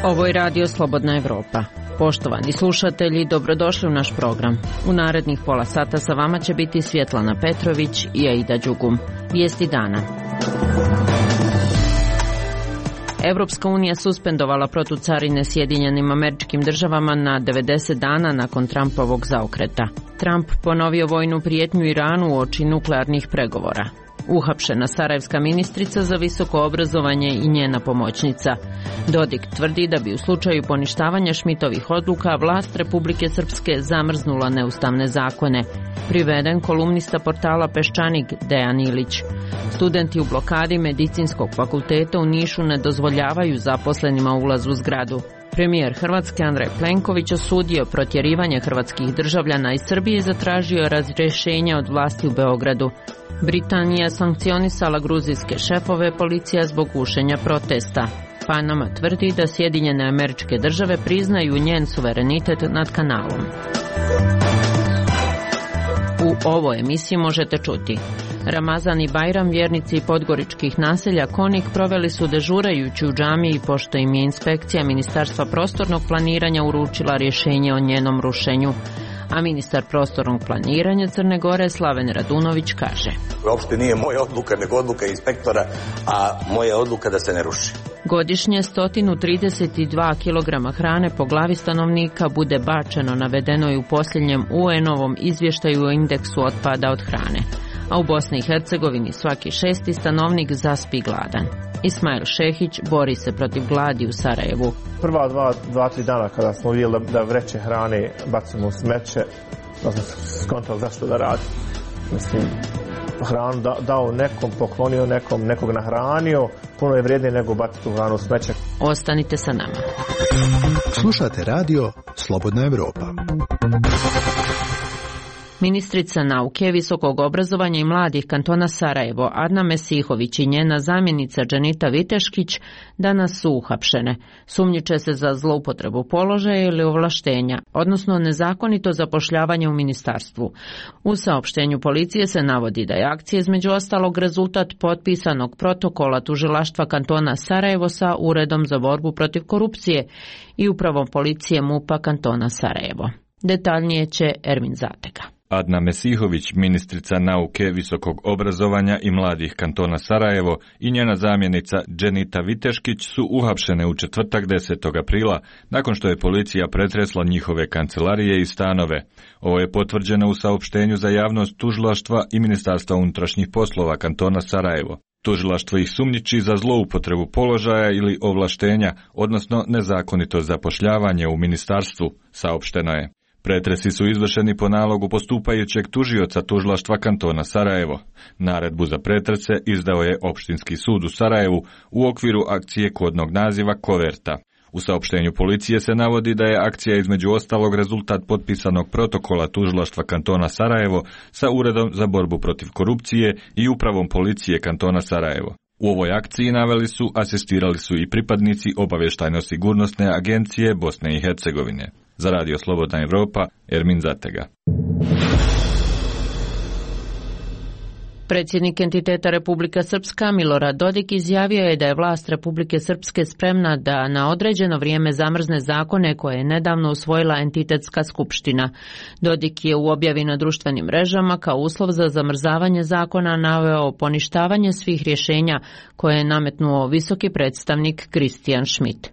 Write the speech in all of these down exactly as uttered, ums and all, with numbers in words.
Ovo je Radio Slobodna Evropa. Poštovani slušatelji, dobrodošli u naš program. U narednih pola sata sa vama će biti Svjetlana Petrović i Aida Đugum. Vijesti dana. Evropska unija suspendovala protucarine Sjedinjenim Američkim Državama na devedeset dana nakon Trumpovog zaokreta. Trump ponovio vojnu prijetnju Iranu uoči nuklearnih pregovora. Uhapšena sarajevska ministrica za visoko obrazovanje i njena pomoćnica. Dodik tvrdi da bi u slučaju poništavanja Šmitovih odluka vlast Republike Srpske zamrznula neustavne zakone. Priveden kolumnista portala Peščanik Dejan Ilić. Studenti u blokadi Medicinskog fakulteta u Nišu ne dozvoljavaju zaposlenima ulaz u zgradu. Premijer Hrvatske Andrej Plenković osudio protjerivanje hrvatskih državljana iz Srbije i zatražio razrješenje od vlasti u Beogradu. Britanija sankcionisala gruzijske šefove policija zbog gušenja protesta. Panama tvrdi da Sjedinjene Američke Države priznaju njen suverenitet nad kanalom. U ovoj emisiji možete čuti: Ramazan i Bajram vjernici podgoričkih naselja Konik proveli su dežurajući u džamiji pošto im je inspekcija Ministarstva prostornog planiranja uručila rješenje o njenom rušenju. A ministar prostornog planiranja Crne Gore Slaven Radunović kaže: Uopšte nije moja odluka, nego odluka inspektora, a moja odluka da se ne ruši. Godišnje sto trideset dva kilograma hrane po glavi stanovnika bude bačeno, navedeno je u posljednjem U N-ovom izvještaju o indeksu otpada od hrane. A u Bosni i Hercegovini svaki šesti stanovnik zaspi gladan. Ismail Šehić bori se protiv gladi u Sarajevu. Prva dva, dva, tri dana kada smo vidjeli da vreće hrane bacimo u smeće, da smo skontali zašto da radi. Mislim, hranu da, dao nekom, poklonio nekom, nekog nahranio, puno je vrijednije nego baciti tu hranu u smeće. Ostanite sa nama. Slušate radio Slobodna Evropa. Ministrica nauke, visokog obrazovanja i mladih kantona Sarajevo, Adna Mesihović i njena zamjenica Dženita Viteškić danas su uhapšene. Sumnjiče se za zloupotrebu položaja ili ovlaštenja, odnosno nezakonito zapošljavanje u ministarstvu. U saopštenju policije se navodi da je akcija između ostalog rezultat potpisanog protokola tužilaštva kantona Sarajevo sa Uredom za borbu protiv korupcije i upravom policije MUP-a kantona Sarajevo. Detaljnije će Ermin Zatega. Adna Mesihović, ministrica nauke, visokog obrazovanja i mladih kantona Sarajevo i njena zamjenica Dženita Viteškić su uhapšene u četvrtak desetog aprila nakon što je policija pretresla njihove kancelarije i stanove. Ovo je potvrđeno u saopštenju za javnost tužilaštva i Ministarstva unutrašnjih poslova kantona Sarajevo. Tužilaštvo ih sumnjiči za zloupotrebu položaja ili ovlaštenja, odnosno nezakonito zapošljavanje u ministarstvu, saopšteno je. Pretresi su izvršeni po nalogu postupajućeg tužioca tužilaštva kantona Sarajevo. Naredbu za pretrese izdao je Opštinski sud u Sarajevu u okviru akcije kodnog naziva Koverta. U saopštenju policije se navodi da je akcija između ostalog rezultat potpisanog protokola tužilaštva kantona Sarajevo sa Uredom za borbu protiv korupcije i upravom policije kantona Sarajevo. U ovoj akciji naveli su, asistirali su i pripadnici obavještajno-sigurnosne agencije Bosne i Hercegovine. Za Radio Slobodna Evropa, Ermin Zatega. Predsjednik entiteta Republika Srpska Milorad Dodik izjavio je da je vlast Republike Srpske spremna da na određeno vrijeme zamrzne zakone koje je nedavno usvojila entitetska skupština. Dodik je u objavi na društvenim mrežama kao uslov za zamrzavanje zakona naveo poništavanje svih rješenja koje je nametnuo visoki predstavnik Kristijan Schmidt.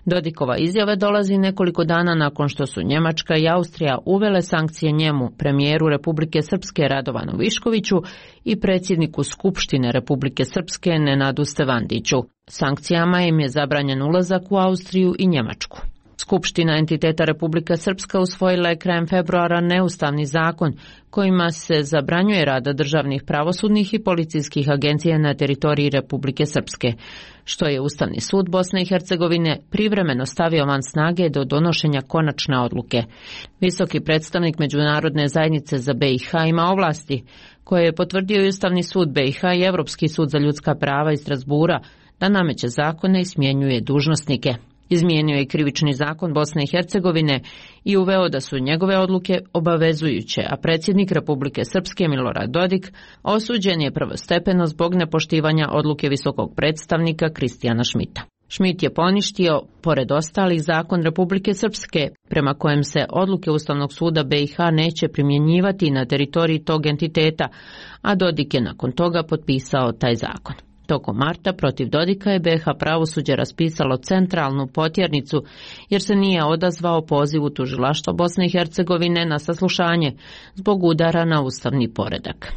Dodikova izjava dolazi nekoliko dana nakon što su Njemačka i Austrija uvele sankcije njemu, premijeru Republike Srpske Radovanu Viškoviću i predsjedniku Skupštine Republike Srpske Nenadu Stevandiću. Sankcijama im je zabranjen ulazak u Austriju i Njemačku. Skupština entiteta Republika Srpska usvojila je krajem februara neustavni zakon kojima se zabranjuje rada državnih pravosudnih i policijskih agencija na teritoriji Republike Srpske, što je Ustavni sud Bosne i Hercegovine privremeno stavio van snage do donošenja konačne odluke. Visoki predstavnik Međunarodne zajednice za B i H ima ovlasti koje je potvrdio i Ustavni sud B i H i Europski sud za ljudska prava iz Strasbura da nameće zakone i smjenjuje dužnosnike. Izmijenio je krivični zakon Bosne i Hercegovine i uveo da su njegove odluke obavezujuće, a predsjednik Republike Srpske Milorad Dodik osuđen je prvostepeno zbog nepoštivanja odluke visokog predstavnika Kristijana Šmita. Šmit je poništio, pored ostalih, zakon Republike Srpske, prema kojem se odluke Ustavnog suda be i ha neće primjenjivati na teritoriji tog entiteta, a Dodik je nakon toga potpisao taj zakon. Tokom marta protiv Dodika je be ha pravosuđe raspisalo centralnu potjernicu jer se nije odazvao pozivu tužilaštva Bosne i Hercegovine na saslušanje zbog udara na ustavni poredak.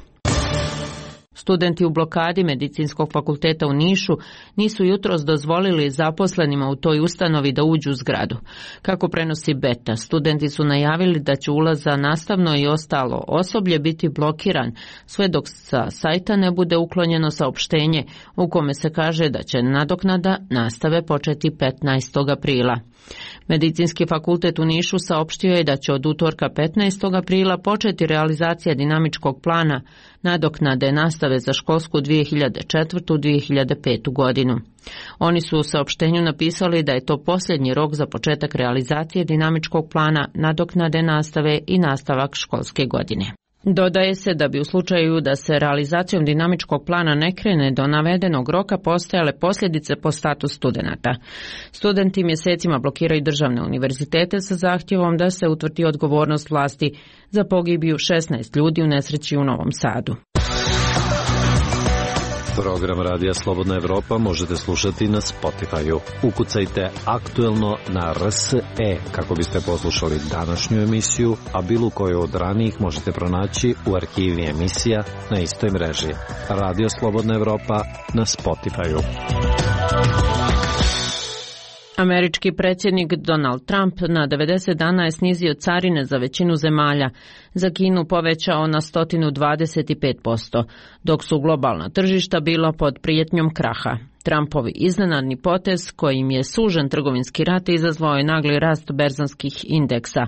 Studenti u blokadi Medicinskog fakulteta u Nišu nisu jutros dozvolili zaposlenima u toj ustanovi da uđu u zgradu. Kako prenosi Beta, studenti su najavili da će ulaz za nastavno i ostalo osoblje biti blokiran sve dok sa sajta ne bude uklonjeno saopštenje u kome se kaže da će nadoknada nastave početi petnaestog aprila. Medicinski fakultet u Nišu saopštio je da će od utorka petnaestog aprila početi realizacija dinamičkog plana nadoknade nastave za školsku dvije hiljade četvrtu dvije hiljade petu godinu. Oni su u saopštenju napisali da je to posljednji rok za početak realizacije dinamičkog plana nadoknade nastave i nastavak školske godine. Dodaje se da bi u slučaju da se realizacijom dinamičkog plana ne krene do navedenog roka postojale posljedice po status studenata. Studenti mjesecima blokiraju državne univerzitete sa zahtjevom da se utvrdi odgovornost vlasti za pogibiju šesnaest ljudi u nesreći u Novom Sadu. Program Radija Slobodna Evropa možete slušati na Spotify-u. Ukucajte aktuelno na R S E kako biste poslušali današnju emisiju, a bilo koju od ranijih možete pronaći u arhivi emisija na istoj mreži. Radio Slobodna Evropa na Spotify-u. Američki predsjednik Donald Trump na devedeset dana je snizio carine za većinu zemalja, za Kinu povećao na sto dvadeset pet posto, dok su globalna tržišta bila pod prijetnjom kraha. Trumpovi iznenadni potez kojim je sužen trgovinski rat izazvao je nagli rast berzanskih indeksa.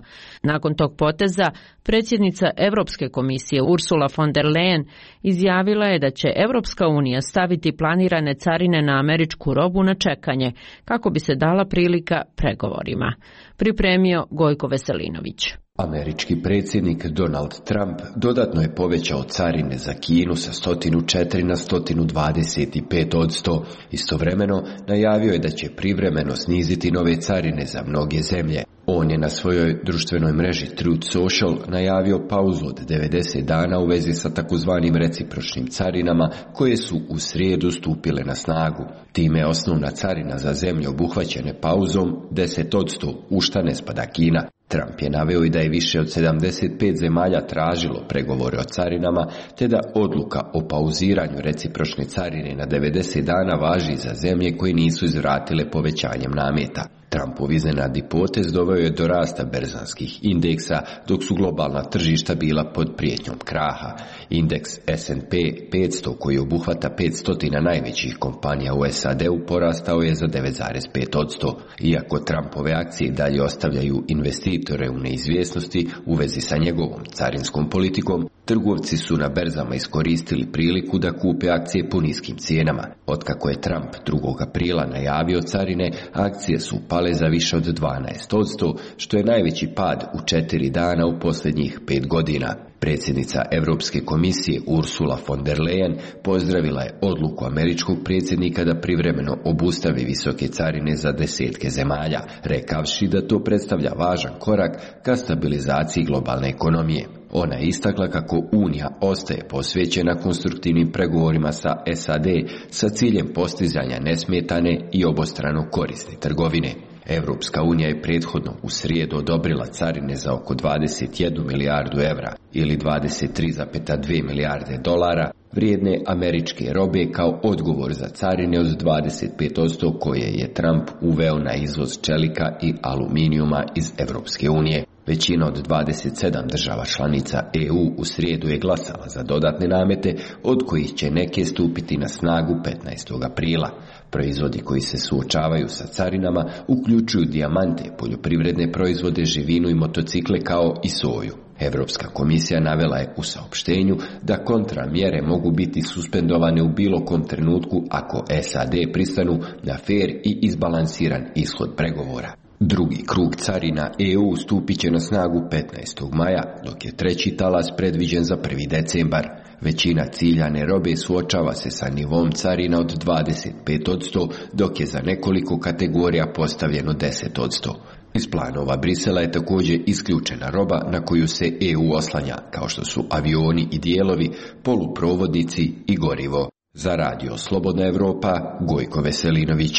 Nakon tog poteza, predsjednica Europske komisije Ursula von der Leyen izjavila je da će Europska unija staviti planirane carine na američku robu na čekanje, kako bi se dala prilika pregovorima. Pripremio Gojko Veselinović. Američki predsjednik Donald Trump dodatno je povećao carine za Kinu sa sto četiri na sto dvadeset pet odsto. Istovremeno najavio je da će privremeno sniziti nove carine za mnoge zemlje. On je na svojoj društvenoj mreži Truth Social najavio pauzu od devedeset dana u vezi sa takozvanim recipročnim carinama koje su u srijedu stupile na snagu. Time je osnovna carina za zemlje obuhvaćene pauzom deset odsto, u šta ne spada Kina. Trump je naveo i da je više od sedamdeset pet zemalja tražilo pregovore o carinama, te da odluka o pauziranju recipročne carine na devedeset dana važi za zemlje koje nisu izvratile povećanjem nameta. Trumpov iznenadni potez doveo je do rasta berzanskih indeksa, dok su globalna tržišta bila pod prijetnjom kraha. Indeks S and P petsto, koji obuhvata petsto najvećih kompanija u S A D-u, porastao je za devet zarez pet odsto. Iako Trumpove akcije dalje ostavljaju investitore u neizvjesnosti u vezi sa njegovom carinskom politikom, trgovci su na berzama iskoristili priliku da kupe akcije po niskim cijenama. Otkako je Trump drugog aprila najavio carine, akcije su pale za više od dvanaest odsto, što je najveći pad u četiri dana u posljednjih pet godina. Predsjednica Europske komisije Ursula von der Leyen pozdravila je odluku američkog predsjednika da privremeno obustavi visoke carine za desetke zemalja, rekavši da to predstavlja važan korak ka stabilizaciji globalne ekonomije. Ona je istakla kako Unija ostaje posvećena konstruktivnim pregovorima sa S A D sa ciljem postizanja nesmetane i obostrano korisne trgovine. Europska unija je prethodno u srijedu odobrila carine za oko dvadeset jednu milijardu evra ili dvadeset tri zarez dvije milijarde dolara vrijedne američke robe kao odgovor za carine od dvadeset pet odsto koje je Trump uveo na izvoz čelika i aluminijuma iz Europske unije. Većina od dvadeset sedam država članica E U u srijedu je glasala za dodatne namete, od kojih će neke stupiti na snagu petnaestog aprila. Proizvodi koji se suočavaju sa carinama uključuju dijamante, poljoprivredne proizvode, živinu i motocikle kao i soju. Evropska komisija navela je u saopštenju da kontramjere mogu biti suspendovane u bilo kom trenutku ako S A D pristanu na fer i izbalansiran ishod pregovora. Drugi krug carina E U stupit će na snagu petnaestog maja, dok je treći talas predviđen za prvi decembar. Većina ciljane robe suočava se sa nivom carina od dvadeset pet posto, dok je za nekoliko kategorija postavljeno deset posto. Iz planova Brisela je također isključena roba na koju se E U oslanja, kao što su avioni i dijelovi, poluprovodnici i gorivo. Za radio Slobodna Evropa, Gojko Veselinović.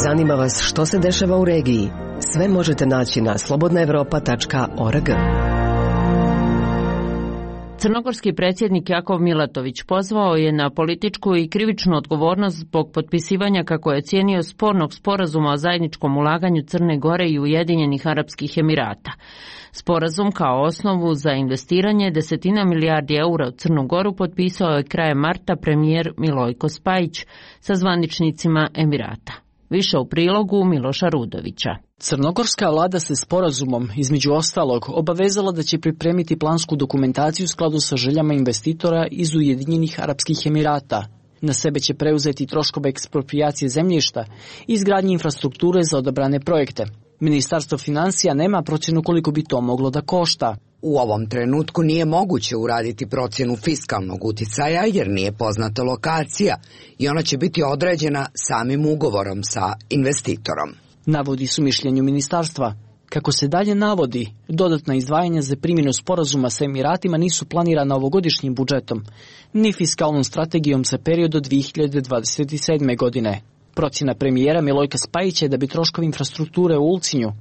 Zanima vas što se dešava u regiji? Sve možete naći na slobodna evropa tačka org. Crnogorski predsjednik Jakov Milatović pozvao je na političku i krivičnu odgovornost zbog potpisivanja, kako je cijenio, spornog sporazuma o zajedničkom ulaganju Crne Gore i Ujedinjenih Arapskih Emirata. Sporazum kao osnovu za investiranje desetina milijardi eura u Crnu Goru potpisao je krajem marta premijer Milojko Spajić sa zvaničnicima Emirata. Više u prilogu Miloša Rudovića. Crnogorska vlada se sporazumom, između ostalog, obavezala da će pripremiti plansku dokumentaciju u skladu sa željama investitora iz Ujedinjenih Arapskih Emirata. Na sebe će preuzeti troškove eksproprijacije zemljišta i izgradnje infrastrukture za odabrane projekte. Ministarstvo financija nema procjenu koliko bi to moglo da košta. U ovom trenutku nije moguće uraditi procjenu fiskalnog uticaja jer nije poznata lokacija i ona će biti određena samim ugovorom sa investitorom. Navodi su mišljenju ministarstva. Kako se dalje navodi, dodatna izdvajanja za primjenu sporazuma sa Emiratima nisu planirana ovogodišnjim budžetom, ni fiskalnom strategijom za period do dvije hiljade dvadeset sedme. godine. Procjena premijera Milojka Spajića je da bi troškovi infrastrukture u Ulcinju,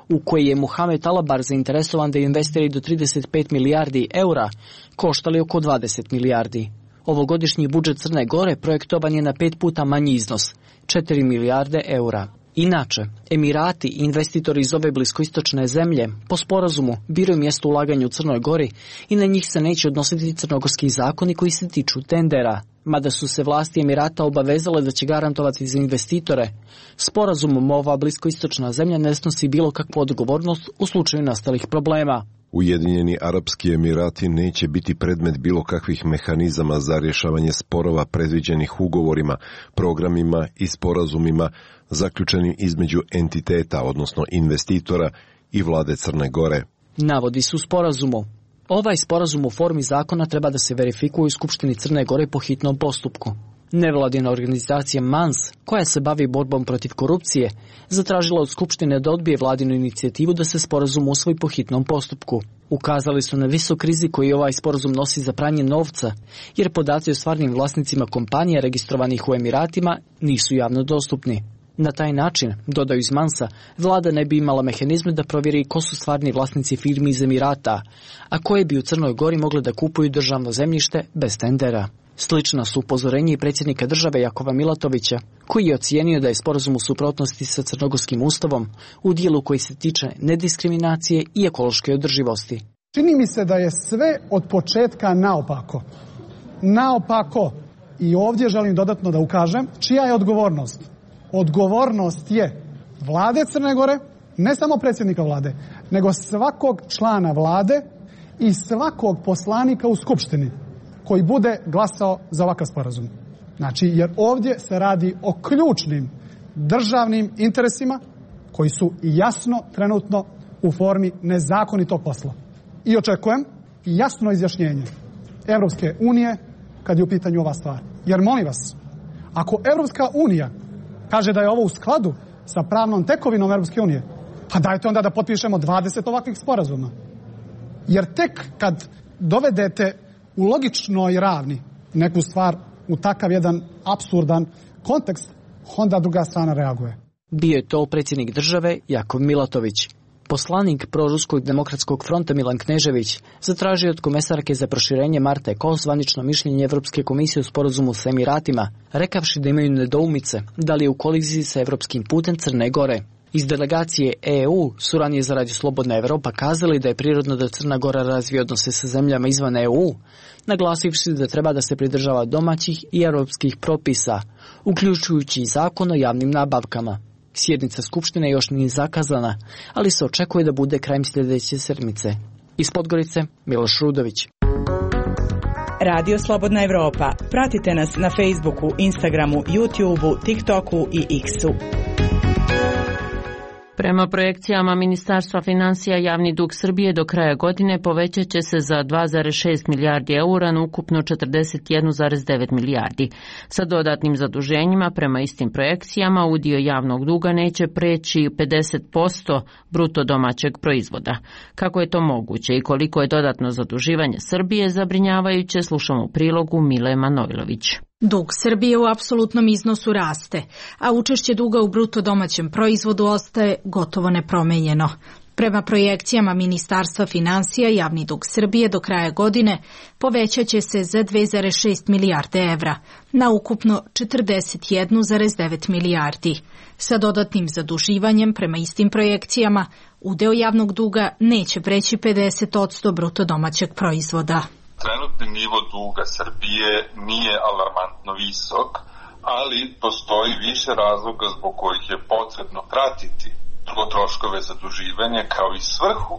u koji je Muhamed Alabar zainteresovan da investira do trideset pet milijardi eura, koštali oko dvadeset milijardi. Ovogodišnji budžet Crne Gore projektovan je na pet puta manji iznos, četiri milijarde eura. Inače, Emirati i investitori iz ove bliskoistočne zemlje po sporazumu biraju mjesto ulaganja u Crnoj Gori i na njih se neće odnositi crnogorski zakoni koji se tiču tendera. Mada su se vlasti Emirata obavezale da će garantovati za investitore, sporazumom ova bliskoistočna zemlja ne snosi bilo kakvu odgovornost u slučaju nastalih problema. Ujedinjeni Arapski Emirati neće biti predmet bilo kakvih mehanizama za rješavanje sporova predviđenih ugovorima, programima i sporazumima zaključenim između entiteta, odnosno investitora i vlade Crne Gore. Navodi su sporazumu. Ovaj sporazum u formi zakona treba da se verifikuje u Skupštini Crne Gore po hitnom postupku. Nevladina organizacija MANS, koja se bavi borbom protiv korupcije, zatražila od Skupštine da odbije vladinu inicijativu da se sporazum usvoji po hitnom postupku. Ukazali su na visok rizik koji ovaj sporazum nosi za pranje novca, jer podaci o stvarnim vlasnicima kompanija registrovanih u Emiratima nisu javno dostupni. Na taj način, dodaju iz Mansa, vlada ne bi imala mehanizme da provjeri ko su stvarni vlasnici firmi iz Emirata, a koje bi u Crnoj Gori mogle da kupuju državno zemljište bez tendera. Slična su upozorenje i predsjednika države Jakova Milatovića, koji je ocijenio da je sporazum u suprotnosti sa crnogorskim ustavom u dijelu koji se tiče nediskriminacije i ekološke održivosti. Čini mi se da je sve od početka naopako. Naopako. I ovdje želim dodatno da ukažem čija je odgovornost. Odgovornost je vlade Crne Gore, ne samo predsjednika vlade, nego svakog člana vlade i svakog poslanika u Skupštini koji bude glasao za ovakav sporazum. Znači, jer ovdje se radi o ključnim državnim interesima koji su jasno trenutno u formi nezakonitog posla. I očekujem jasno izjašnjenje Evropske unije kad je u pitanju ova stvar. Jer molim vas, ako Evropska unija kaže da je ovo u skladu sa pravnom tekovinom Evropske unije, pa dajte onda da potpišemo dvadeset ovakvih sporazuma. Jer tek kad dovedete u logičnoj ravni neku stvar u takav jedan apsurdan kontekst, onda druga strana reaguje. Bio je to predsjednik države Jakov Milatović. Poslanik Proruskog demokratskog fronta Milan Knežević zatražio od komesarke za proširenje Marte Kos zvanično mišljenje Evropske komisije u sporazumu sa Emiratima, rekavši da imaju nedoumice da li je u koliziji sa evropskim putem Crne Gore. Iz delegacije E U su ranije za Radio Slobodna Evropa kazali da je prirodno da Crna Gora razvije odnose sa zemljama izvan E U, naglasivši da treba da se pridržava domaćih i europskih propisa, uključujući i zakon o javnim nabavkama. Sjednica Skupštine još nije zakazana, ali se očekuje da bude krajem sljedeće sedmice. Iz Podgorice, Miloš Rudović. Radio Slobodna Evropa. Pratite nas na Facebooku, Instagramu, YouTubeu, TikToku i X-u. Prema projekcijama Ministarstva financija, javni dug Srbije do kraja godine povećat će se za dva zarez šest milijardi eura na ukupno četrdeset jedan zarez devet milijardi. Sa dodatnim zaduženjima, prema istim projekcijama, udio javnog duga neće preći pedeset posto bruto domaćeg proizvoda. Kako je to moguće i koliko je dodatno zaduživanje Srbije zabrinjavajuće, slušamo u prilogu Mile Manojlović. Dug Srbije u apsolutnom iznosu raste, a učešće duga u bruto domaćem proizvodu ostaje gotovo nepromenjeno. Prema projekcijama Ministarstva financija, javni dug Srbije do kraja godine povećat će se za dve zarez šest milijarde evra, na ukupno četrdeset jedan zarez devet milijardi. Sa dodatnim zaduživanjem, prema istim projekcijama, udeo javnog duga neće preći pedeset posto bruto domaćeg proizvoda. Trenutni nivo duga Srbije nije alarmantno visok, ali postoji više razloga zbog kojih je potrebno pratiti troškove zaduživanja kao i svrhu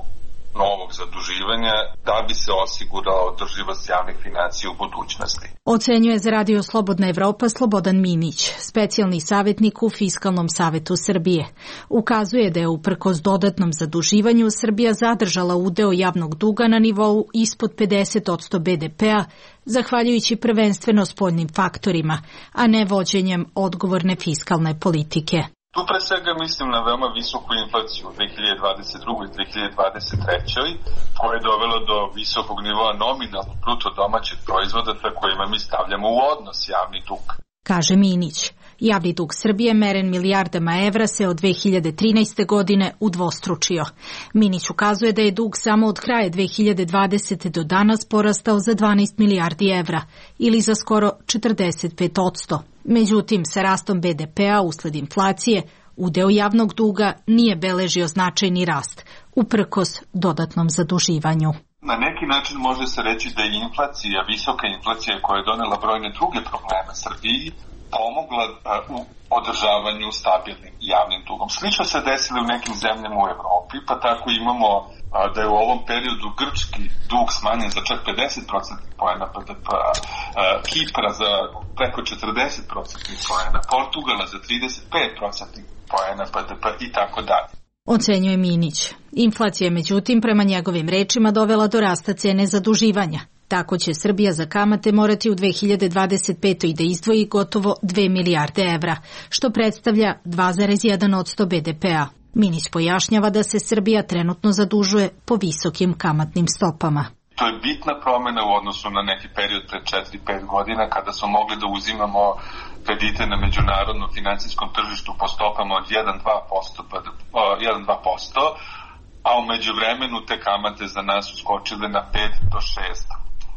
novog zaduživanja da bi se osigurala održivost javnih financija u budućnosti. Ocenjuje za Radio Slobodna Evropa Slobodan Minić, specijalni savjetnik u Fiskalnom savetu Srbije. Ukazuje da je uprkos dodatnom zaduživanju Srbija zadržala udeo javnog duga na nivou ispod pedeset posto be de pea, zahvaljujući prvenstveno spoljnim faktorima, a ne vođenjem odgovorne fiskalne politike. Tu pre svega mislim na veoma visoku inflaciju u dve hiljade dvadeset drugoj i dve hiljade dvadeset trećoj koja je dovela do visokog nivoa nominalnog bruto domaćeg proizvoda sa kojima mi stavljamo u odnos javni dug. Kaže Minić, javni dug Srbije meren milijardama evra se od dve hiljade trinaeste. godine udvostručio. Minić ukazuje da je dug samo od kraja dve hiljade dvadesete. do danas porastao za dvanaest milijardi evra ili za skoro četrdeset pet posto. Međutim, sa rastom be de pea usled inflacije, udeo javnog duga nije beležio značajni rast, uprkos dodatnom zaduživanju. Na neki način može se reći da je inflacija, visoka inflacija koja je donela brojne druge probleme Srbiji, pomogla u održavanju stabilnim javnim dugom. Slično se desilo u nekim zemljama u Evropi, pa tako imamo da je u ovom periodu grčki dug smanjen za čak pedeset procentnih poena be de pea, Kipra za preko četrdeset procentnih poena, Portugala za trideset pet procentnih poena be de pea i tako dalje. Ocenjuje Minić. Inflacija je međutim prema njegovim rečima dovela do rasta cene zaduživanja. Tako će Srbija za kamate morati u dve hiljade dvadeset petoj. da izdvoji gotovo dve milijarde evra, što predstavlja dva zarez jedan posto be de pea. Minić pojašnjava da se Srbija trenutno zadužuje po visokim kamatnim stopama. To je bitna promjena u odnosu na neki period pred četiri pet godina kada smo mogli da uzimamo kredite na međunarodnom financijskom tržištu po stopama od jedan do dva posto, a u međuvremenu te kamate za nas su skočile na pet do šest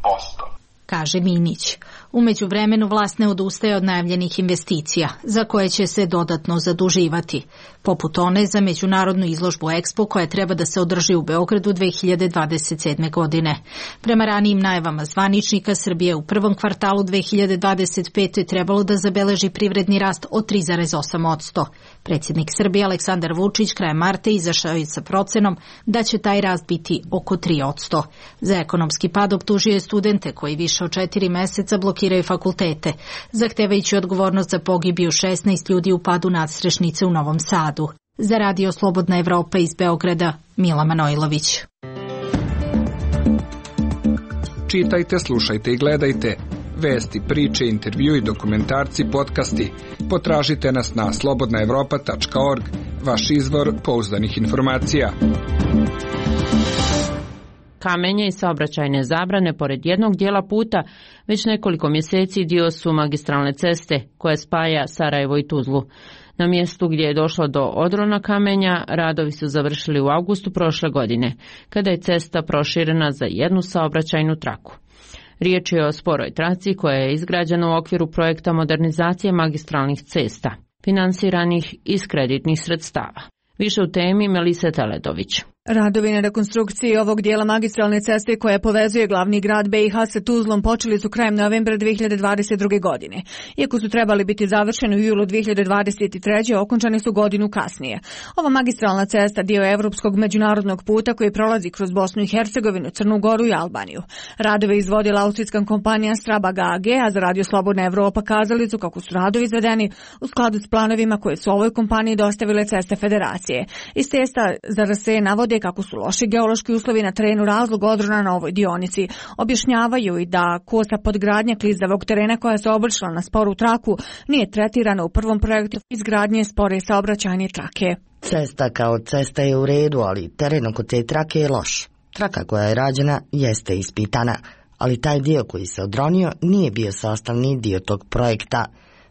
posto. Kaže Minić. U međuvremenu vlast ne odustaje od najavljenih investicija, za koje će se dodatno zaduživati, poput one za međunarodnu izložbu Expo koja treba da se održi u Beogradu dve hiljade dvadeset sedme. godine. Prema ranijim najavama zvaničnika, Srbije u prvom kvartalu dve hiljade dvadeset pete. trebalo da zabeleži privredni rast od tri zarez osam posto. Predsjednik Srbije Aleksandar Vučić krajem marta izašao je sa procenom da će taj rast biti oko tri posto. Za ekonomski pad optužio je studente koji više od četiri meseca blokiraju fakultete, zahtevajući odgovornost za pogibiju šesnaest ljudi u padu nadstrešnice u Novom Sadu. Za Radio Slobodna Evropa iz Beograda, Mila Manojlović. Čitajte, slušajte i gledajte. Vesti, priče, intervju i dokumentarci, podcasti. Potražite nas na slobodna evropa tačka org, vaš izvor pouzdanih informacija. Kamenje i saobraćajne zabrane pored jednog dijela puta već nekoliko mjeseci dio su magistralne ceste koja spaja Sarajevo i Tuzlu. Na mjestu gdje je došlo do odrona kamenja, radovi su završili u avgustu prošle godine, kada je cesta proširena za jednu saobraćajnu traku. Riječ je o sporoj traci koja je izgrađena u okviru projekta modernizacije magistralnih cesta, finansiranih iz kreditnih sredstava. Više u temi Melise Teledović. Radovi na rekonstrukciji ovog dijela magistralne ceste koja povezuje glavni grad B i H sa Tuzlom počeli su krajem novembra dve hiljade dvadeset druge. godine. Iako su trebali biti završeni u julu dve hiljade dvadeset treće. okončani su godinu kasnije. Ova magistralna cesta dio je evropskog međunarodnog puta koji prolazi kroz Bosnu i Hercegovinu, Crnu Goru i Albaniju. Radove izvodila austrijska kompanija Strabag A G, a za Radio Slobodna Evropa kazali su kako su radovi izvedeni u skladu s planovima koje su ovoj kompaniji dostavile Ceste Federacije. Iz testa za R S E navode kako su loši geološki uslovi na terenu razlog odrona na ovoj dionici. Objašnjavaju i da kosa podgradnja klizavog terena koja se obršila na sporu traku nije tretirana u prvom projektu izgradnje spore saobraćajne trake. Cesta kao cesta je u redu, ali teren oko te trake je loš. Traka koja je rađena jeste ispitana, ali taj dio koji se odronio nije bio sastavni dio tog projekta.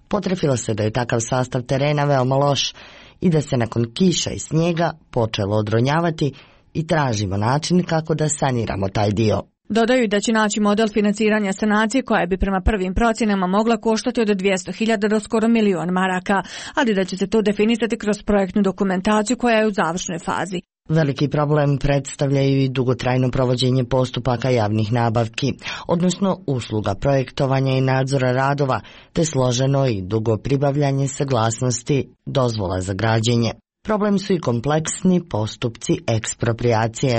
Potrefilo se da je takav sastav terena veoma loš i da se nakon kiša i snijega počelo odronjavati i tražimo način kako da saniramo taj dio. Dodaju da će naći model financiranja sanacije koja bi prema prvim procjenama mogla koštati od dvjesto hiljada do skoro milion maraka, ali da će se to definisati kroz projektnu dokumentaciju koja je u završnoj fazi. Veliki problem predstavljaju i dugotrajno provođenje postupaka javnih nabavki, odnosno usluga projektovanja i nadzora radova, te složeno i dugo pribavljanje saglasnosti dozvola za građenje. Problem su i kompleksni postupci ekspropriacije.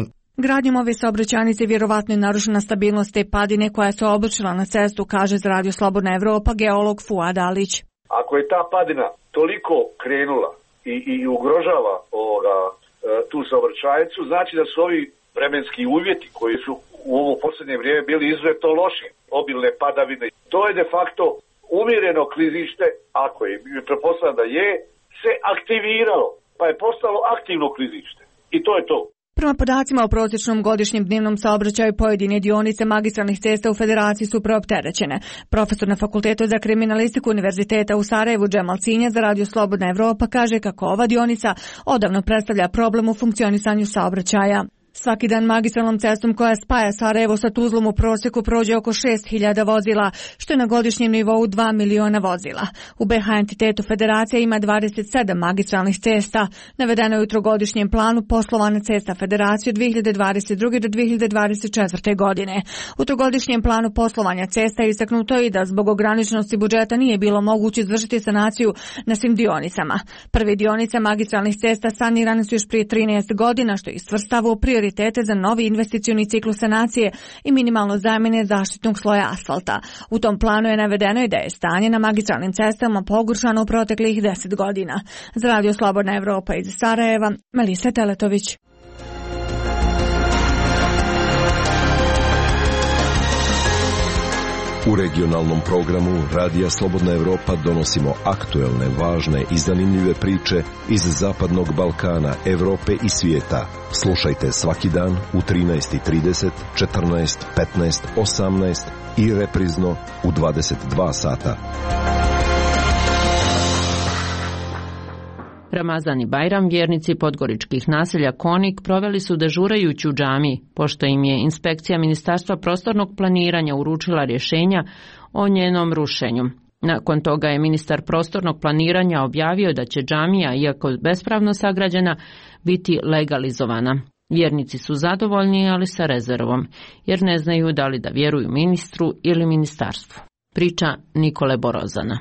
Gradnjom ove saobraćajnice vjerovatno je narušena stabilnost te padine koja se obršila na cestu, kaže za Radio Slobodna Evropa geolog Fuad Alić. Ako je ta padina toliko krenula i, i ugrožava ovoga, tu saobraćajnicu, znači da su ovi vremenski uvjeti koji su u ovo posljednje vrijeme bili izuzetno loši, obilne padavine. To je de facto umjereno klizište, ako je, pretpostavljam da je, se aktiviralo, pa je postalo aktivno klizište. I to je to. Prema podacima o prosječnom godišnjem dnevnom saobraćaju pojedine dionice magistralnih cesta u Federaciji su preopterećene. Profesor na Fakultetu za kriminalistiku Univerziteta u Sarajevu Džemal Cinja za Radio Slobodna Evropa kaže kako ova dionica odavno predstavlja problem u funkcionisanju saobraćaja. Svaki dan magistralnom cestom koja spaja Sarajevo sa Tuzlom u prosjeku prođe oko šest hiljada vozila, što je na godišnjem nivou dva miliona vozila. U B H entitetu Federacija ima dvadeset sedam magistralnih cesta. Navedeno je u trogodišnjem planu poslovanja cesta Federacije od dve hiljade dvadeset druge do dve hiljade dvadeset četvrte. godine. U trogodišnjem planu poslovanja cesta je istaknuto i da zbog ograničenosti budžeta nije bilo moguće izvršiti sanaciju na svim dionicama. Prve dionice magistralnih cesta sanirane su još prije trinaest godina, što je svrstavao prioritete za novi investicioni ciklus sanacije i minimalno zamjene zaštitnog sloja asfalta. U tom planu je navedeno i da je stanje na magistralnim cestama pogoršano u proteklih deset godina. Za Radio Slobodna Evropa iz Sarajeva, Melisa Teletović. U regionalnom programu Radija Slobodna Evropa donosimo aktuelne, važne i zanimljive priče iz Zapadnog Balkana, Evrope i svijeta. Slušajte svaki dan u trinaest i trideset, četrnaest, petnaest, osamnaest i reprizno u dvadeset dva sata. Ramazan i Bajram vjernici podgoričkih naselja Konik proveli su dežurajući u džamiji, pošto im je inspekcija Ministarstva prostornog planiranja uručila rješenja o njenom rušenju. Nakon toga je ministar prostornog planiranja objavio da će džamija, iako bespravno sagrađena, biti legalizovana. Vjernici su zadovoljni, ali sa rezervom, jer ne znaju da li da vjeruju ministru ili ministarstvu. Priča Nikole Borozana.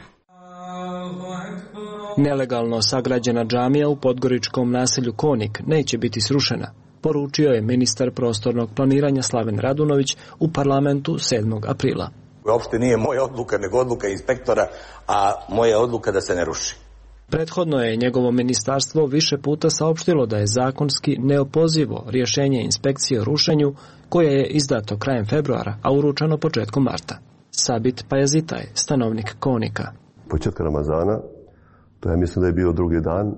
Nelegalno sagrađena džamija u podgoričkom naselju Konik neće biti srušena, poručio je ministar prostornog planiranja Slaven Radunović u parlamentu sedmog aprila. Uopšte nije moja odluka, nego odluka inspektora, a moja odluka da se ne ruši. Prethodno je njegovo ministarstvo više puta saopštilo da je zakonski neopozivo rješenje inspekcije o rušenju koje je izdato krajem februara, a uručeno početkom marta. Sabit Pajazitaj, stanovnik Konika. Početka Ramazana, to ja mislim da je bio drugi dan,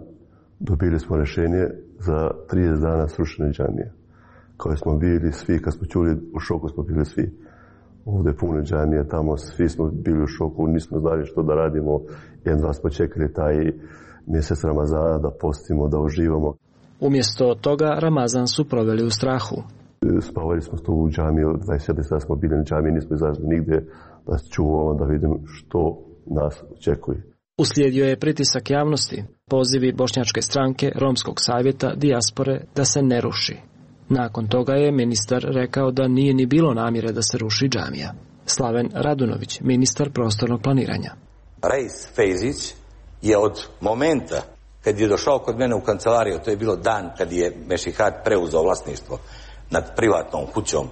dobili smo rješenje za trideset dana srušene džamije. Kao smo bili svi, kad smo čuli, u šoku smo bili svi. Ovdje puno džamije, tamo svi smo bili u šoku, nismo znali što da radimo. Jedan dva smo čekali taj mjesec Ramazana da postimo, da uživamo. Umjesto toga Ramazan su proveli u strahu. Spavali smo tu u džamiju, dvadeset četiri sata smo bili na džamiji, nismo izašli nigdje da čuvamo, da vidimo što nas očekuje. Uslijedio je pritisak javnosti, pozivi Bošnjačke stranke, Romskog savjeta, dijaspore da se ne ruši. Nakon toga je ministar rekao da nije ni bilo namjere da se ruši džamija. Slaven Radunović, ministar prostornog planiranja. Rejs Fejzić je od momenta kad je došao kod mene u kancelariju, to je bilo dan kad je Mešihat preuzeo vlasništvo nad privatnom kućom,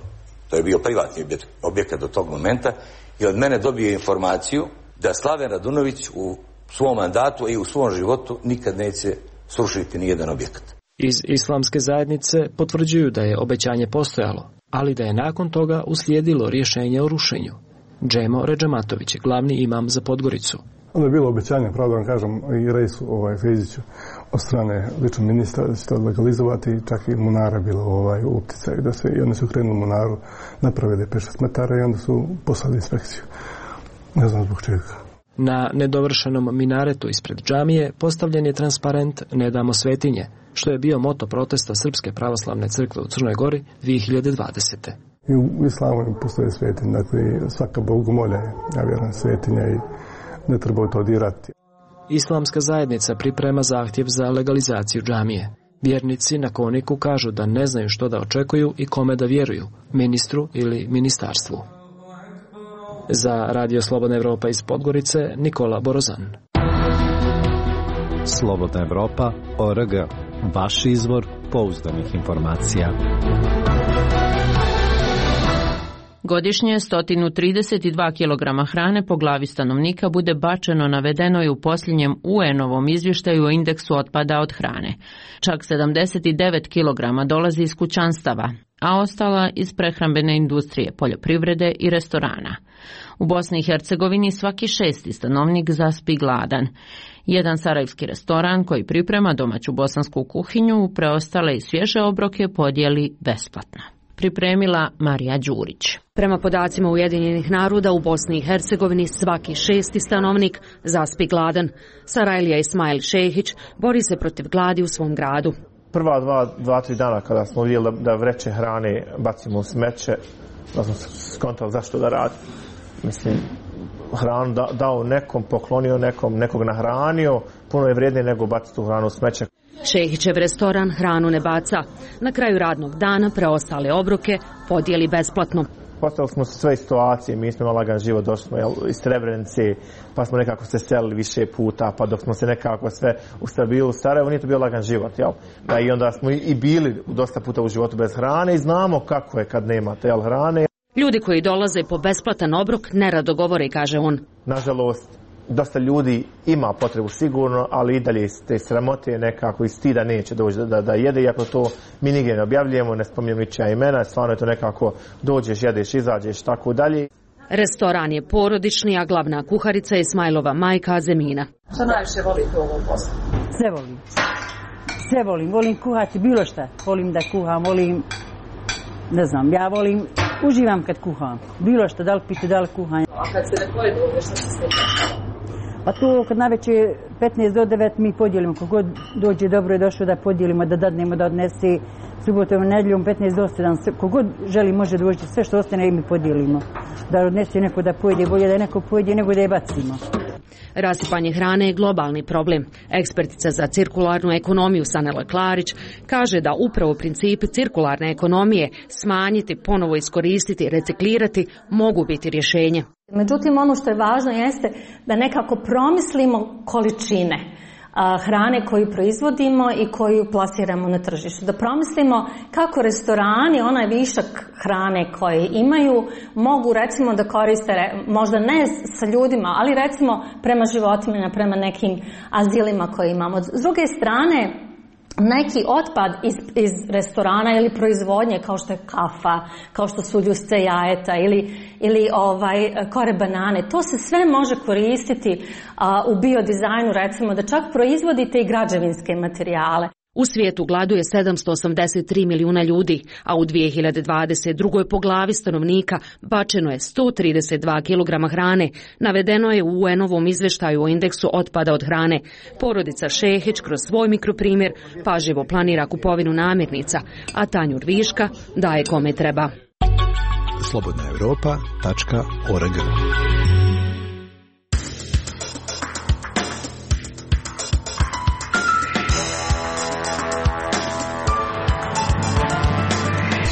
to je bio privatni objekat do tog momenta, i od mene dobio informaciju da Slaven Radunović u svom mandatu i u svom životu nikad neće srušiti nijedan objekat. Iz islamske zajednice potvrđuju da je obećanje postojalo, ali da je nakon toga uslijedilo rješenje o rušenju. Džemo Redžamatović, glavni imam za Podgoricu. Onda je bilo obećanje, pravda vam kažem, i Rejsu ovaj, Fejziću od strane lično ministra da će to legalizovati, čak i Munara bilo ovaj, u opticaju, da se, i oni su krenuli Munaru, napravili pet šest metara i onda su poslali inspekciju. Ne znam zbog čega. Na nedovršenom minaretu ispred džamije postavljen je transparent Ne damo svetinje, što je bio moto protesta Srpske pravoslavne crkve u Crnoj Gori dvije hiljade dvadesete. I u islamu postoje svetinje, dakle svaka bogomolja je, ja vjerujem, svetinja i ne treba to dirati. Islamska zajednica priprema zahtjev za legalizaciju džamije. Vjernici na Koniku kažu da ne znaju što da očekuju i kome da vjeruju, ministru ili ministarstvu. Za Radio Slobodna Evropa iz Podgorice, Nikola Borozan. Slobodna Evropa, O R G, vaš izvor pouzdanih informacija. Godišnje sto trideset dva kilograma hrane po glavi stanovnika bude bačeno, navedeno je u posljednjem U N-ovom izvještaju o indeksu otpada od hrane. Čak sedamdeset devet kilograma dolazi iz kućanstava, a ostala iz prehrambene industrije, poljoprivrede i restorana. U Bosni i Hercegovini svaki šesti stanovnik zaspi gladan. Jedan sarajevski restoran koji priprema domaću bosansku kuhinju preostale i svježe obroke podijeli besplatno. Pripremila Marija Đurić. Prema podacima Ujedinjenih naroda u Bosni i Hercegovini svaki šesti stanovnik zaspi gladan. Sarajlija Ismail Šehić bori se protiv gladi u svom gradu. Prva dva, dva, tri dana kada smo vidjeli da vreće hrane bacimo u smeće, da smo skontali zašto da radi. Mislim, hranu da, dao nekom, poklonio nekom, nekog nahranio, puno je vrijednije nego baciti tu hranu u smeće. Šehićev restoran hranu ne baca. Na kraju radnog dana preostale obroke podijeli besplatno. Postavili smo sve situacije, mi smo imali lagan život, došli smo jel, iz Srebrenice, pa smo nekako se selili više puta, pa dok smo se nekako sve ustabili u Sarajevu, nije to bio lagan život, jel? Da, i onda smo i bili dosta puta u životu bez hrane i znamo kako je kad nemate jel, hrane. Ljudi koji dolaze po besplatan obrok nerado govore, kaže on. Nažalost, dosta ljudi ima potrebu sigurno, ali i dalje te sramote nekako i stida neće doći da, da, da jede, iako to mi nigdje ne objavljujemo, ne spominjemo ničija imena, stvarno je to nekako dođeš, jedeš, izađeš, tako dalje. Restoran je porodični, a glavna kuharica je Ismailova majka Azemina. Što najviše volite u ovom poslu? Sve volim. Sve volim. Volim kuhati bilo šta. Volim da kuham, volim, ne znam, ja volim, uživam kad kuham. Bilo šta, da li pite, da li kuham. A kad se ne pojedu, što se stekne? Pa to kad naveče petnaest do devet mi podijelimo, kogod dođe dobro je došao da podijelimo, da dadnemo, da odnese subotom, nedjeljom petnaest do sedam, kogod želi može doći, sve što ostane i mi podijelimo. Da odnese neko da pojede, bolje da neko pojede nego da je bacimo. Rasipanje hrane je globalni problem. Ekspertica za cirkularnu ekonomiju Sanela Klarić kaže da upravo principi cirkularne ekonomije smanjiti, ponovo iskoristiti, reciklirati mogu biti rješenje. Međutim, ono što je važno jeste da nekako promislimo količine hrane koju proizvodimo i koju plasiramo na tržištu. Da promislimo kako restorani, onaj višak hrane koje imaju, mogu recimo da koriste, možda ne sa ljudima, ali recimo prema životinjama, prema nekim azilima koje imamo. S druge strane, neki otpad iz, iz restorana ili proizvodnje kao što je kafa, kao što su ljusce jajeta ili, ili ovaj, kore banane, to se sve može koristiti a, u biodizajnu, recimo da čak proizvodite i građevinske materijale. U svijetu gladuje sedamsto osamdeset tri milijuna ljudi, a u dvije hiljade dvadeset druge. po glavi stanovnika bačeno je sto trideset dva kilograma hrane. Navedeno je u U N-ovom izvještaju o indeksu otpada od hrane. Porodica Šehić kroz svoj mikroprimjer pažljivo planira kupovinu namirnica, a tanjur viška daje kome treba. slobodna europa tačka org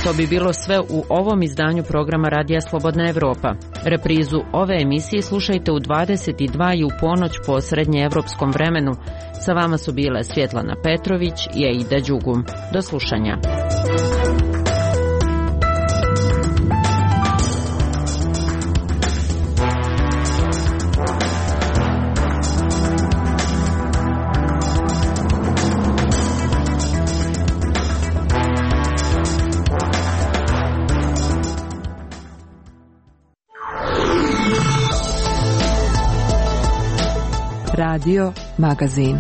To bi bilo sve u ovom izdanju programa Radija Slobodna Evropa. Reprizu ove emisije slušajte u dvadeset dva i u ponoć po srednjeevropskom vremenu. Sa vama su bile Svjetlana Petrović i Aida Đugum. Do slušanja. Radio Magazin.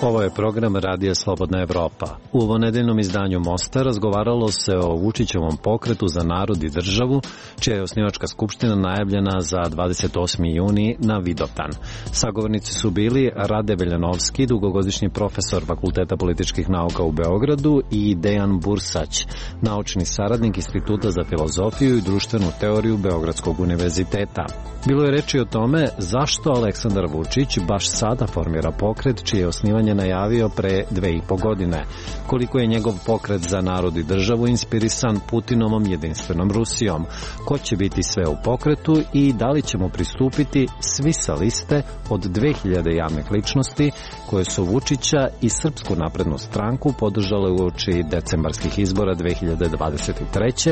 Ovo je program Radija Slobodna Evropa. U ovonedeljnom izdanju Mosta razgovaralo se o Vučićevom pokretu za narod i državu, čija je osnivačka skupština najavljena za dvadeset osmi juni na Vidovdan. Sagovornici su bili Rade Veljanovski, dugogodišnji profesor Fakulteta političkih nauka u Beogradu, i Dejan Bursać, naučni saradnik Instituta za filozofiju i društvenu teoriju Beogradskog univerziteta. Bilo je reči o tome zašto Aleksandar Vučić baš sada formira pokret čije je osnivanje najavio pre dve i po godine, koliko je njegov pokret za narod i državu inspirisan Putinovom jedinstvenom Rusijom, ko će biti sve u pokretu i da li ćemo pristupiti svi sa liste od dve hiljade javnih ličnosti koje su Vučića i Srpsku naprednu stranku podržale uoči decembarskih izbora dve hiljade dvadeset treće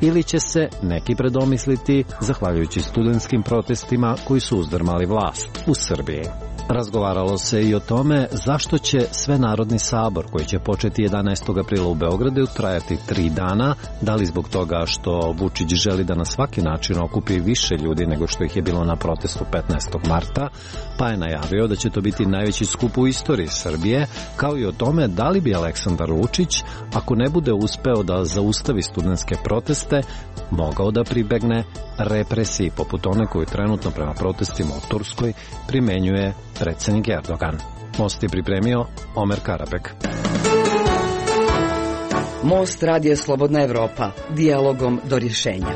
ili će se neki predomisliti zahvaljujući studentskim protestima koji su uzdrmali vlast u Srbiji. Razgovaralo se i o tome zašto će Svenarodni sabor, koji će početi jedanaestog aprila u Beogradu, trajati tri dana, da li zbog toga što Vučić želi da na svaki način okupi više ljudi nego što ih je bilo na protestu petnaestog marta, pa je najavio da će to biti najveći skup u istoriji Srbije, kao i o tome da li bi Aleksandar Vučić, ako ne bude uspeo da zaustavi studentske proteste, mogao da pribegne represiji poput one koju trenutno prema protestima u Turskoj primenjuje predsjednik Erdogan. Most je pripremio Omer Karabek. Most Radio Slobodna Evropa. Dijalogom do rješenja.